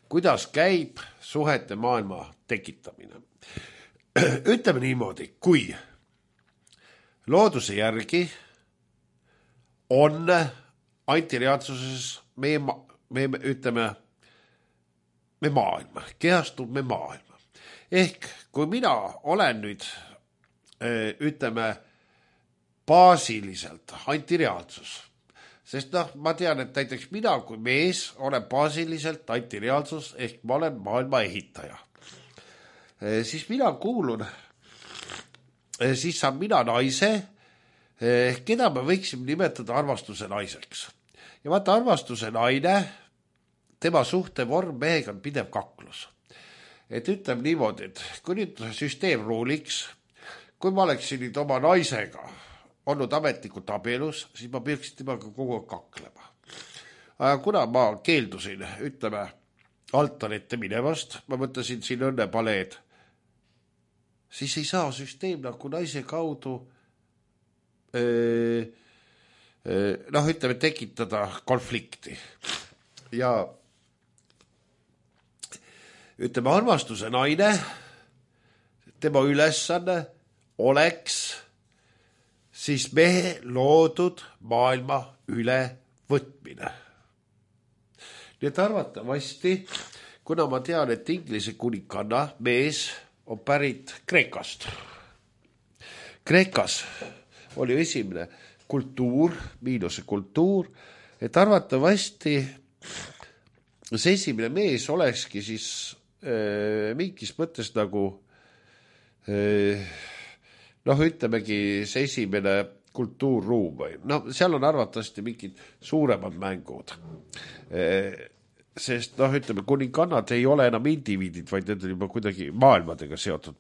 kuidas käib suhete maailma tekitamine. Ütleme niimoodi, kui looduse järgi on antireaalsuses meie maailma, kehastub me maailma. Ehk kui mina olen nüüd, baasiliselt antireaalsus, sest ma tean, et näiteks mina kui mees olen baasiliselt antireaalsus, ehk ma olen maailma ehitaja. Siis mina kuulun, siis saan mina naise, keda me võiksime nimetada armastuse naiseks. Ja vaata, armastuse naine, tema suhtevorm mehega on pidev kaklus. Et ütleme niimoodi, et kui nüüd süsteem ruuliks, kui ma oleksin nüüd oma naisega olnud ametlikult abielus, siis ma peaksin temaga kogu aeg kaklema. Aga kuna ma keeldusin, altarite minevast, ma mõtlesin siin õnnepaleed, siis ei saa süsteem nagu naise kaudu tekitada konflikti. Ja armastuse naine, tema ülesanne oleks siis mehe loodud maailma üle võtmine. Nii et arvatavasti, kuna ma tean, et Inglise kuninganna mees on pärit Kreekast. Kreekas oli esimene kultuur, miinuse kultuur, et arvatavasti see esimene mees olekski siis mingis mõttes nagu ütlemegi see esimene kultuurruum või. Seal on arvatavasti mingid suuremad mängud. Sest kuningannad ei ole enam indiviidid, vaid need on juba kuidagi maailmadega seotud,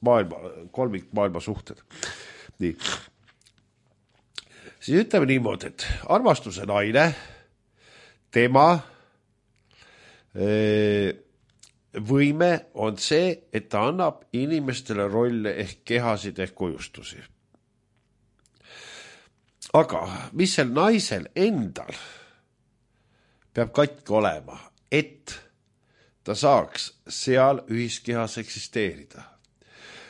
kolmik maailma suhted. Nii. Siis ütleme niimoodi, et armastuse naine, tema võime on see, et ta annab inimestele rolle ehk kehasid ehk kujustusi. Aga mis sel naisel endal peab katki olema, et ta saaks seal ühiskehas eksisteerida?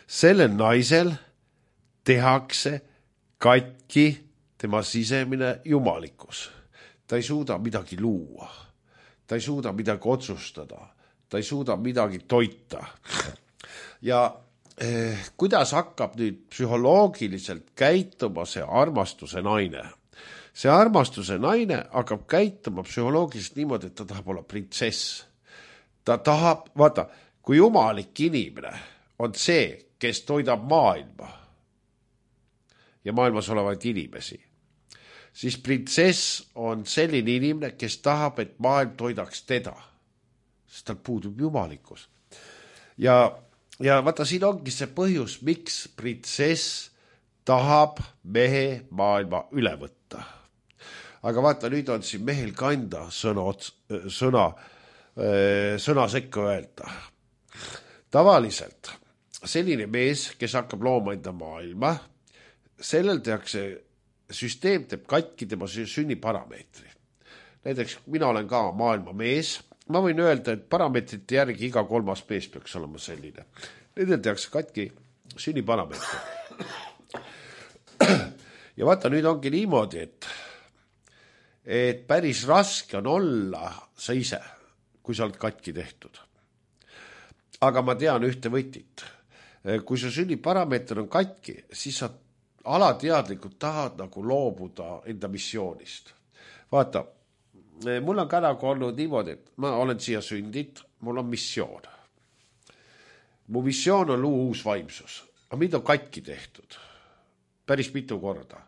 Sellel naisel tehakse katki tema sisemine jumalikkus. Ta ei suuda midagi luua. Ta ei suuda midagi otsustada. Ta ei suuda midagi toita. Ja kuidas hakkab nüüd psühholoogiliselt käituma see armastuse naine? See armastuse naine hakkab käituma psühholoogiliselt niimoodi, et ta tahab olla printsess. Ta tahab, vaata, kui jumalik inimene on see, kes toidab maailma ja maailmas olevaid inimesi, siis printsess on selline inimene, kes tahab, et maailm toidaks teda, sest tal puudub jumalikkus. Ja vaata, siin ongi see põhjus, miks printsess tahab mehe maailma üle võtta. Aga vaata, nüüd on siin mehel kanda sõna sekka öelda. Tavaliselt selline mees, kes hakkab looma enda maailma, sellel tehakse, süsteem teeb katki tema sünniparameetri. Näiteks mina olen ka maailma mees, ma võin öelda, et parameetrite järgi iga 3. mees peaks olema selline. Nendel tehakse katki sünniparameetri. Ja vaata, nüüd ongi niimoodi, et päris raske on olla sa ise, kui sa oled katki tehtud. Aga ma tean ühte võtit. Kui su sünniparameeter on katki, siis sa alateadlikult tahad nagu loobuda enda missioonist. Vaata, mul on ka nagu olnud niimoodi, et ma olen siia sündid, mul on missioon. Mu missioon on luua uus vaimsus, aga mind on katki tehtud päris mitu korda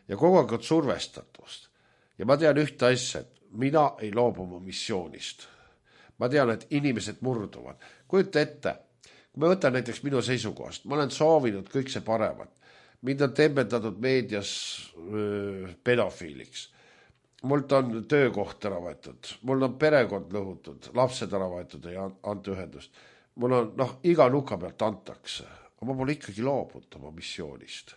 ja kogu aeg on survestatust. Ja ma tean ühte asja, et mina ei loobu mu missioonist. Ma tean, et inimesed murduvad. Kujuta ette, kui ma võtan näiteks minu seisukohast, ma olen soovinud kõik see paremat. Mind on tembeldatud meedias pedofiiliks. Mult on töökoht ära võetud, mul on perekond lõhutud, lapsed ära võetud ja anta ühendust. Mul on, iga nuka pealt antakse, aga ma pole ikkagi loobunud oma missioonist.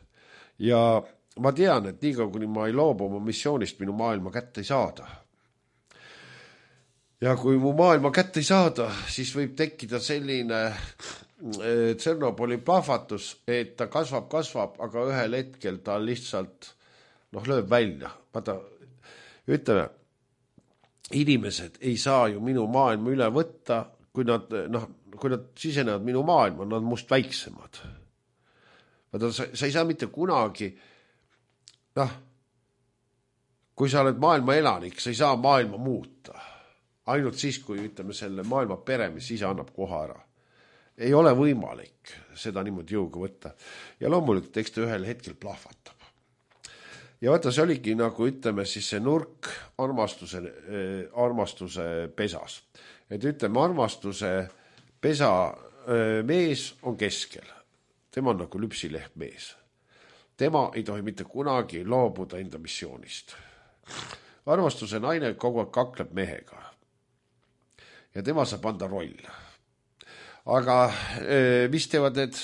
Ja ma tean, et nii kuni ma ei loobu oma missioonist, minu maailma kätte ei saada. Ja kui mu maailma kätte ei saada, siis võib tekkida selline Tšernobõli plahvatus, et ta kasvab, aga ühel hetkel ta lihtsalt lööb välja. Vaata, ütleme, inimesed ei saa ju minu maailma üle võtta, kui nad sisenevad minu maailma, nad must väiksemad. Vaata, sa ei saa mitte kunagi, kui sa oled maailma elanik, sa ei saa maailma muuta. Ainult siis, kui ütleme selle maailma pere, mis ise annab koha ära. Ei ole võimalik seda niimoodi jõuga võtta. Ja loomulikult, eks ta ühel hetkel plahvatab. Ja vaata, see oligi nagu ütleme siis see nurk armastuse pesas. Et ütleme, armastuse pesa mees on keskel. Tema on nagu lüpsileht mees. Tema ei tohi mitte kunagi loobuda enda missioonist. Armastuse naine kogu aeg kakleb mehega. Ja tema saab anda roll. Aga mis teevad need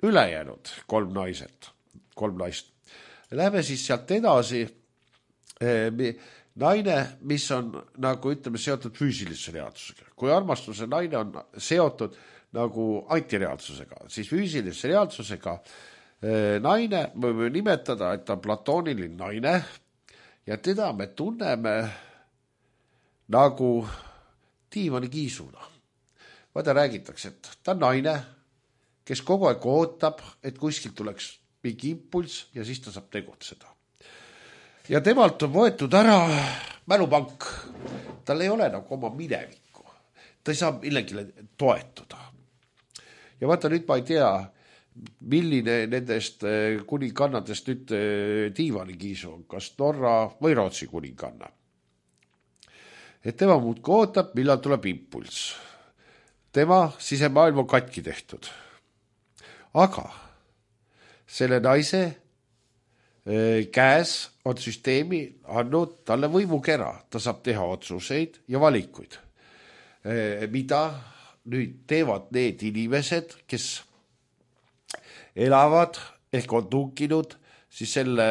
ülejäänud 3 naist? Läheme siis sealt edasi. Naine, mis on nagu ütleme seotud füüsilise reaalsusega. Kui armastuse naine on seotud nagu antireaalsusega, siis füüsilise reaalsusega naine võime nimetada, et ta on platooniline naine ja teda me tunneme nagu diivani kiisuna. Vaata, räägitakse, et ta on naine, kes kogu aeg ootab, et kuskilt tuleks mingi impulss ja siis ta saab tegutseda. Ja temalt on võetud ära mälupank. Tal ei ole nagu oma minevikku. Ta ei saa millegile toetuda. Ja vaata, nüüd ma ei tea, milline nendest kuningannadest nüüd diivanikiisu on, kas Norra või Rootsi kuninganna. Et tema muudki ootab, millal tuleb impulss. Tema sisemaailm on katki tehtud. Aga selle naise käes on süsteemi andnud talle võimukera. Ta saab teha otsuseid ja valikuid. Mida nüüd teevad need inimesed, kes elavad ehk on tunkinud siis selle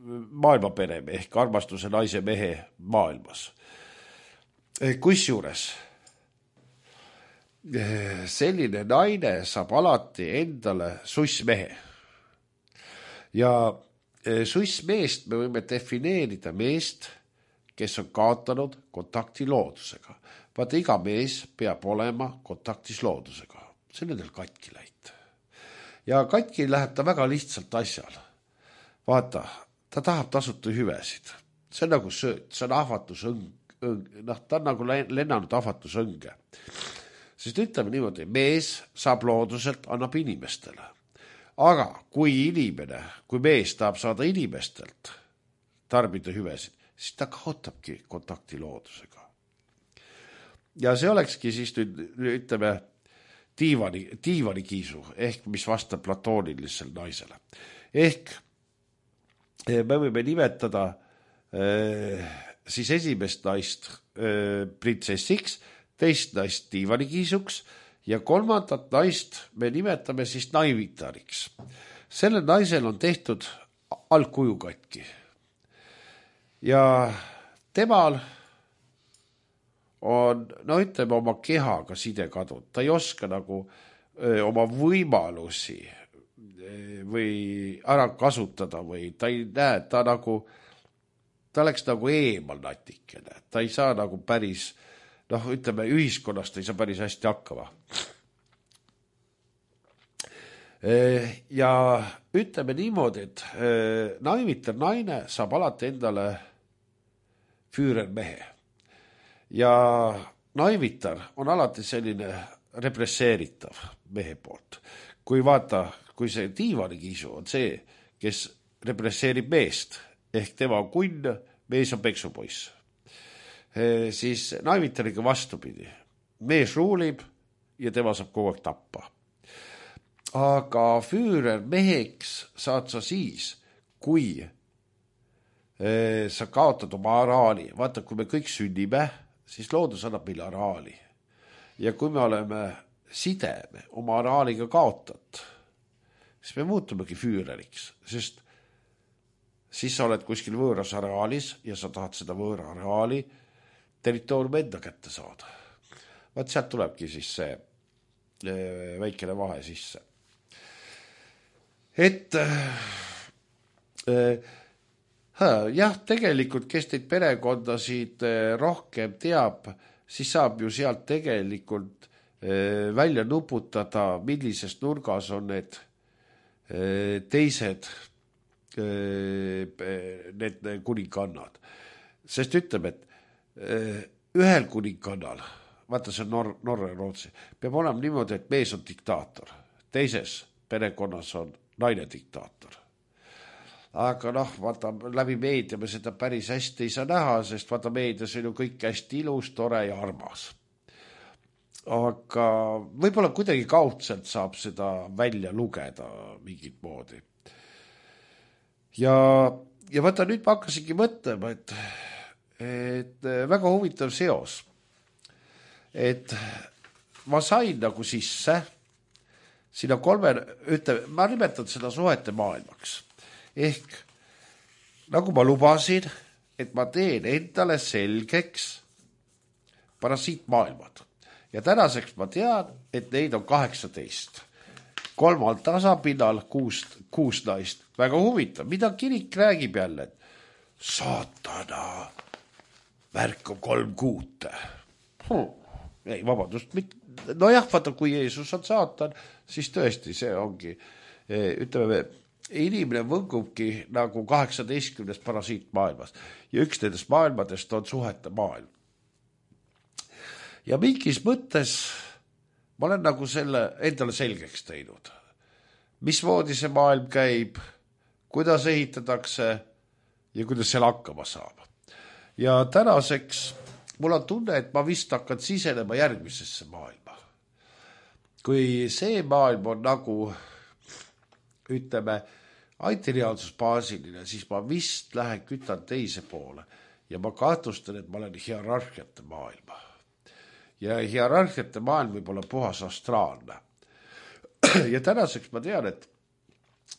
maailmapere ehk armastuse naise mehe maailmas. Kusjuures selline naine saab alati endale sussmehe. Ja sussmeest me võime defineerida meest, kes on kaotanud kontakti loodusega. Vaata, iga mees peab olema kontaktis loodusega. See on nendel katki läinud. Ja katki läheb ta väga lihtsalt asjal. Vaata, ta tahab tasuta hüvesid. See on nagu sööt, see on ahvatusõng. Ta on nagu lennanud ahvatusõnge. Sest ütleme niimoodi, mees saab looduselt, annab inimestele. Aga kui mees tahab saada inimestelt tarbida hüvesid, siis ta kaotabki kontakti loodusega. Ja see olekski siis nüüd, ütleme, diivanikiisu, ehk mis vastab platoonilisele naisele. Ehk me võime nimetada siis esimest naist printsessiks, teist naist diivanikiisuks ja kolmandat naist me nimetame siis naivitariks. Sellel naisel on tehtud algkuju katki. Ja temal on, ütleme, oma kehaga side kadunud. Ta ei oska nagu oma võimalusi või ära kasutada või ta ei näe, ta oleks nagu eemal natikene. Ta ei saa nagu päris, ütleme, ühiskonnast ei saa päris hästi hakkama. Ja ütleme niimoodi, et naivitar naine saab alati endale füürermehe. Ja naivitar on alati selline represseeritav mehe poolt. Kui see diivanikiisu on see, kes represseerib meest, ehk tema on kunn, mees on peksupoiss, siis naivitariga vastupidi. Mees ruulib ja tema saab kogu aeg tappa. Aga füürer meheks saad sa siis, kui sa kaotad oma araali. Vaata, kui me kõik sünnime, siis loodus annab meile araali. Ja kui me oleme sideme oma araaliga kaotat, siis me muutumegi füüreriks, sest siis sa oled kuskil võõras araalis ja sa tahad seda võõra araali territooriumi enda kätte saada. Vaat sealt tulebki siis see väikene vahe sisse. Et jah, tegelikult, kes teid perekondasid rohkem teab, siis saab ju sealt tegelikult välja nuputada, millises nurgas on need teised need kuningannad. Sest ütleme, et ühel kuningannal, vaata see on Norra ja Rootsi, peab olema niimoodi, et mees on diktaator. Teises perekonnas on naine diktaator. Aga vaata, läbi meedia me seda päris hästi ei saa näha, sest vaata meedias on ju kõik hästi ilus, tore ja armas. Aga võib-olla kuidagi kaudselt saab seda välja lugeda mingit moodi. Ja vaata, nüüd ma hakkasingi mõtlema, et väga huvitav seos. Et ma sain nagu sisse sinna ma nimetan seda suhete maailmaks. Ehk nagu ma lubasin, et ma teen endale selgeks parasiitmaailmad. Ja tänaseks ma tean, et neid on 18. 3 tasapinnal 6 naist. Väga huvitav, mida kirik räägib jälle, et saatana värk on 3 kuute. Ei, vabandust, nojah, vaata, kui Jeesus on saatan, siis tõesti see ongi, ütleme, inimene võngubki nagu 18 parasiitmaailmas ja üks nendest maailmadest on suhete maailm. Ja mingis mõttes ma olen nagu selle endale selgeks teinud. Mismoodi see maailm käib, kuidas ehitatakse ja kuidas seal hakkama saab. Ja tänaseks mul on tunne, et ma vist hakkan sisenema järgmisesse maailma. Kui see maailm on nagu, ütleme, antireaalsusbaasiline, siis ma vist lähen kütan teise poole ja ma kahtlustan, et ma olen hierarhiate maailma. Ja hierarhiate maailm võib olla puhas astraalne. Ja tänaseks ma tean, et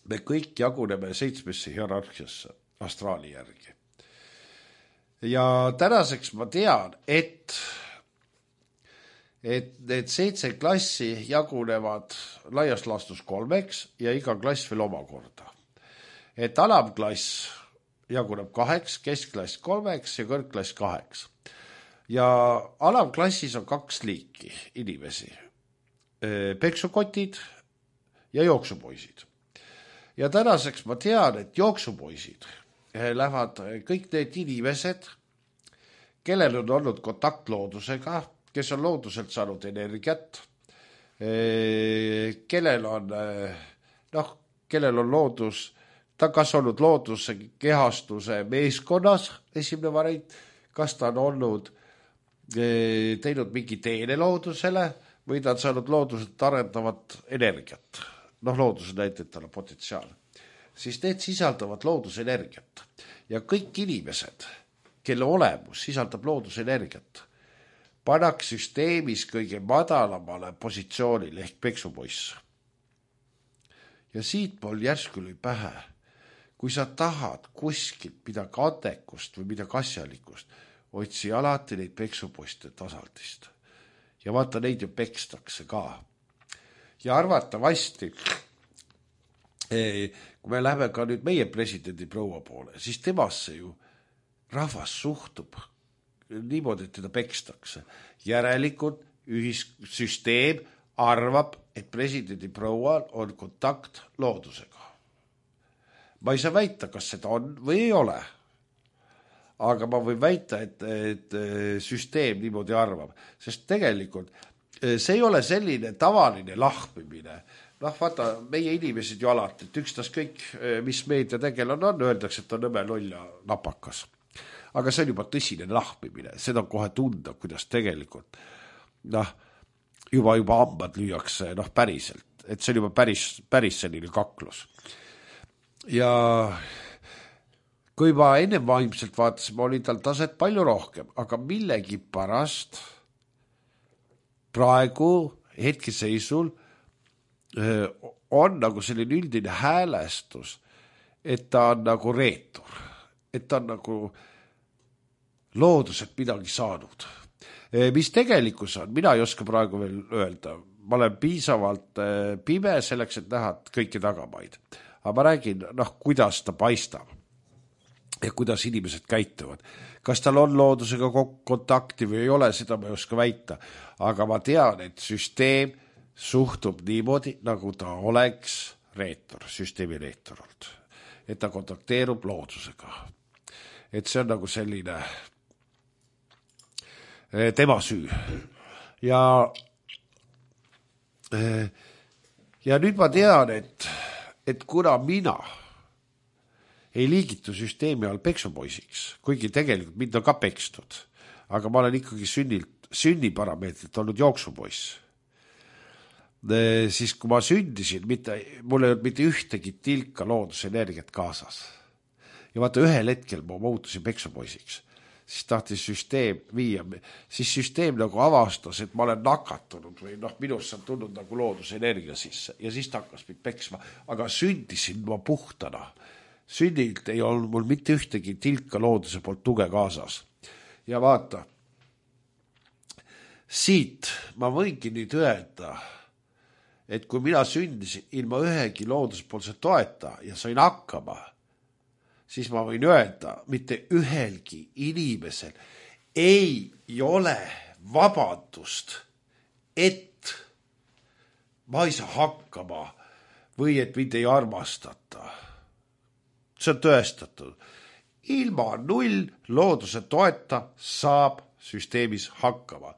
me kõik jaguneme 7 hierarhiasse astraali järgi. Ja tänaseks ma tean, et need 7 klassi jagunevad laias laastus 3 ja iga klass veel omakorda. Et alamklass jaguneb 2, keskklass 3 ja kõrgklass 2. Ja alamklassis on 2 liiki inimesi. Peksukotid ja jooksupoisid. Ja tänaseks ma tean, et jooksupoisid lähevad kõik need inimesed, kellel on olnud kontakt loodusega, kes on looduselt saanud energiat, kellel on kellel on loodus, ta kas olnud looduse kehastuse meeskonnas, esimene variant, kas ta on olnud teinud mingi teene loodusele või ta on saanud looduselt arendavat energiat. Looduse näite, et tal on potentsiaal. Siis need sisaldavad loodusenergiat. Ja kõik inimesed, kelle olemus sisaldab loodusenergiat, panaks süsteemis kõige madalamale positsioonile ehk peksupoisse. Ja siit mul järsku lõi pähe, kui sa tahad kuskilt midagi andekust või midagi asjalikust, otsi alati neid peksupoiste tasaldist. Ja vaata, neid ju pekstakse ka. Ja arvatavasti, kui me läheme ka nüüd meie presidendi proua poole, siis temasse ju rahvas suhtub niimoodi, et teda pekstakse. Järelikult süsteem arvab, et presidendi proual on kontakt loodusega. Ma ei saa väita, kas seda on või ei ole. Aga ma võin väita, et süsteem niimoodi arvab. Sest tegelikult see ei ole selline tavaline lahmimine. Vaata, meie inimesed ju alati, et ükstas kõik, mis meedia tegelane on, öeldakse, et on nõme loll ja napakas. Aga see on juba tõsine lahmimine. Seda on kohe tunda, kuidas tegelikult juba hambad lüüakse päriselt. Et see on juba päris selline kaklus. Ja kui ma ennem vaimselt vaatasime, oli tal taset palju rohkem, aga millegi pärast praegu hetkeseisul on nagu selline üldine häälestus, et ta on nagu reetur, et ta on nagu looduselt midagi saanud. Mis tegelikkus on, mina ei oska praegu veel öelda, ma olen piisavalt pime selleks, et näha kõiki tagamaid. Aga ma räägin, kuidas ta paistab ja kuidas inimesed käituvad. Kas tal on loodusega kontakti või ei ole, seda ma ei oska väita. Aga ma tean, et süsteem suhtub niimoodi, nagu ta oleks reetur, süsteemi reetur olnud. Et ta kontakteerub loodusega. Et see on nagu selline tema süü. Ja nüüd ma tean, et kuna mina ei liigitu süsteemi all peksupoisiks, kuigi tegelikult mind on ka pekstud, aga ma olen ikkagi sünniparameetrit olnud jooksupoiss. Siis kui ma sündisin, mul ei olnud mitte ühtegi tilka loodusenergiat kaasas. Ja vaata, ühel hetkel ma muutusin peksupoisiks. Siis tahtis süsteem viia, siis süsteem nagu avastas, et ma olen nakatunud või minust on tulnud nagu loodusenergia sisse ja siis ta hakkas mind peksma, aga sündisin ma puhtana. Sünnilt ei olnud mul mitte ühtegi tilka looduse poolt tuge kaasas. Ja vaata, siit ma võingi nüüd öelda, et kui mina sündisin ilma ühegi looduspoolse toeta ja sain hakkama, siis ma võin öelda, mitte ühelgi inimesel ei ole vabandust, et ma ei saa hakkama või et mind ei armastata. See on tõestatud. Ilma null looduse toeta saab süsteemis hakkama.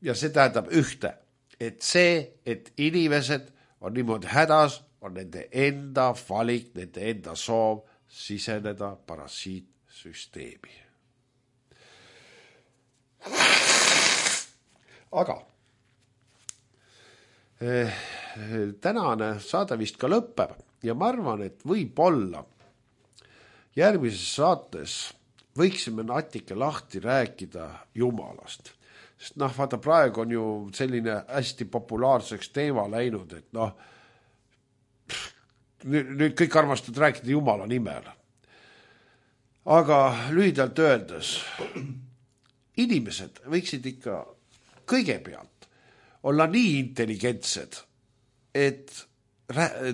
Ja see tähendab ühte, et inimesed on niimoodi hädas, on nende enda valik, nende enda soov siseneda parasiitsüsteemi. Aga tänane saade vist ka lõpeb ja ma arvan, et võib-olla järgmises saates võiksime natuke lahti rääkida Jumalast. Sest vaata, praegu on ju selline hästi populaarseks teema läinud, et nüüd kõik armastavad rääkida Jumala nimel. Aga lühidalt öeldes, inimesed võiksid ikka kõigepealt olla nii intelligentsed, et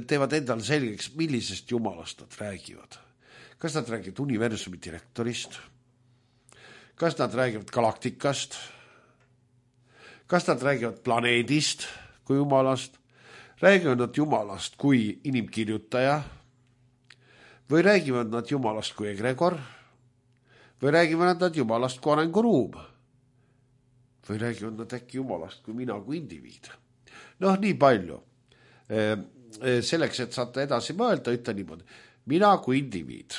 teevad endale selgeks, millisest Jumalast nad räägivad. Kas nad räägivad universumi direktorist? Kas nad räägivad galaktikast? Kas nad räägivad planeedist kui Jumalast? Räägivad nad Jumalast kui inimkirjutaja? Või räägivad nad Jumalast kui egregor? Või räägivad nad Jumalast kui arenguruum? Või räägivad nad äkki Jumalast kui mina kui indiviid? Nii palju. selleks, et saate edasi mõelda, ütle niimoodi. Mina kui indiviid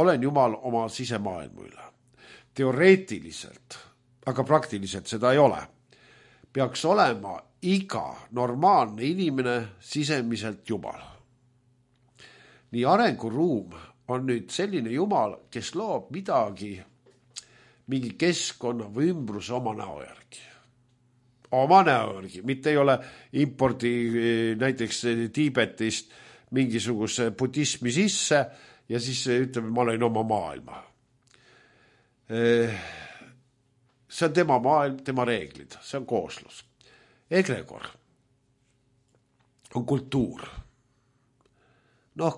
olen Jumal oma sisemaailmu üle. Teoreetiliselt, aga praktiliselt seda ei ole. Peaks olema iga normaalne inimene sisemiselt Jumal. Nii arenguruum on nüüd selline Jumal, kes loob midagi, mingi keskkonna või ümbruse oma näo järgi. Oma näo järgi, mitte ei ole impordi näiteks Tiibetist mingisuguse budismi sisse ja siis ütleme, ma olen oma maailma. See on tema maailm, tema reeglid, see on kooslus. Egregor on kultuur.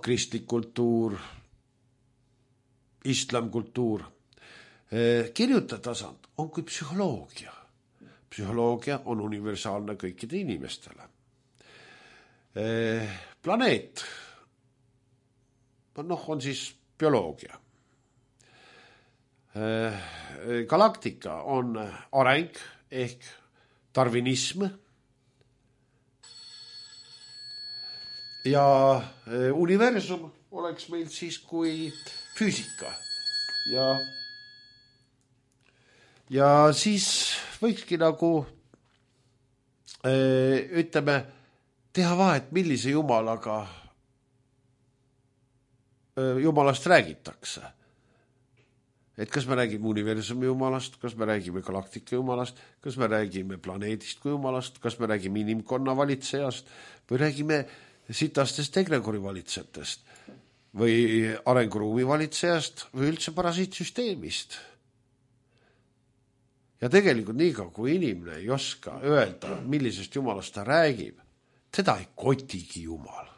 Kristlik kultuur, islamkultuur. Kirjutatasand on kui psühholoogia. Psühholoogia on universaalne kõikide inimestele. Planeet on siis bioloogia. Galaktika on areng ehk darwinism ja universum oleks meil siis kui füüsika ja siis võikski nagu ütleme teha vahet, millise jumalast räägitakse. Et kas me räägime universumi jumalast, kas me räägime galaktika jumalast, kas me räägime planeedist kui jumalast, kas me räägime inimkonna valitsejast või räägime sitastest egregori valitsejatest või arenguruumi valitsejast või üldse parasiitsüsteemist. Ja tegelikult niikaua, kui inimene ei oska öelda, millisest jumalast ta räägib, teda ei kotigi jumal,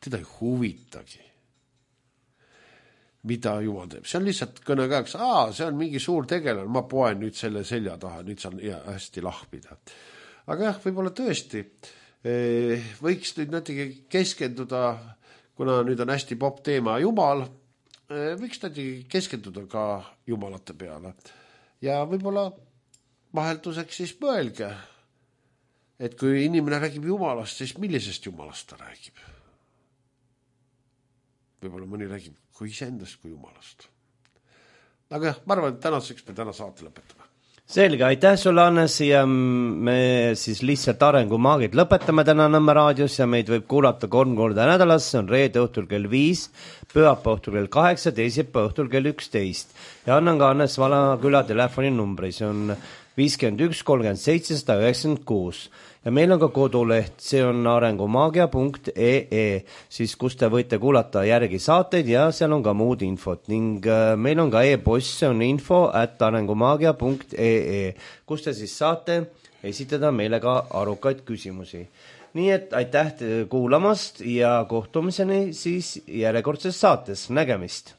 teda ei huvitagi, mida jumal teeb. See on lihtsalt kõnekäeks, see on mingi suur tegelane, ma poen nüüd selle selja taha, nüüd saan hästi lahmida. Aga jah, võib-olla tõesti võiks nüüd natuke keskenduda, kuna nüüd on hästi popp teema Jumal, võiks natuke keskenduda ka jumalate peale. Ja võib-olla vahelduseks siis mõelge, et kui inimene räägib jumalast, siis millisest jumalast ta räägib? Võib-olla mõni räägib kui iseendast kui jumalast. Aga jah, ma arvan, et tänaseks me täna saate lõpetame. Selge, aitäh sulle, Hannes, ja me siis lihtsalt arengumaagid lõpetame täna Nõmme raadios ja meid võib kuulata 3 korda nädalas, see on reede õhtul kell 5, pühapäeva õhtul kell 8, teisipäeva õhtul kell 11. Ja annan ka Hannes Valaküla telefoninumbri, see on 51 37 196 ja meil on ka koduleht, see on arengumaagia.ee, siis kus te võite kuulata järgi saateid ja seal on ka muud infot ning meil on ka e-post, see on info@arengumaagia.ee, kus te siis saate esitada meile ka arukaid küsimusi. Nii et aitäh kuulamast ja kohtumiseni siis järjekordses saates, nägemist!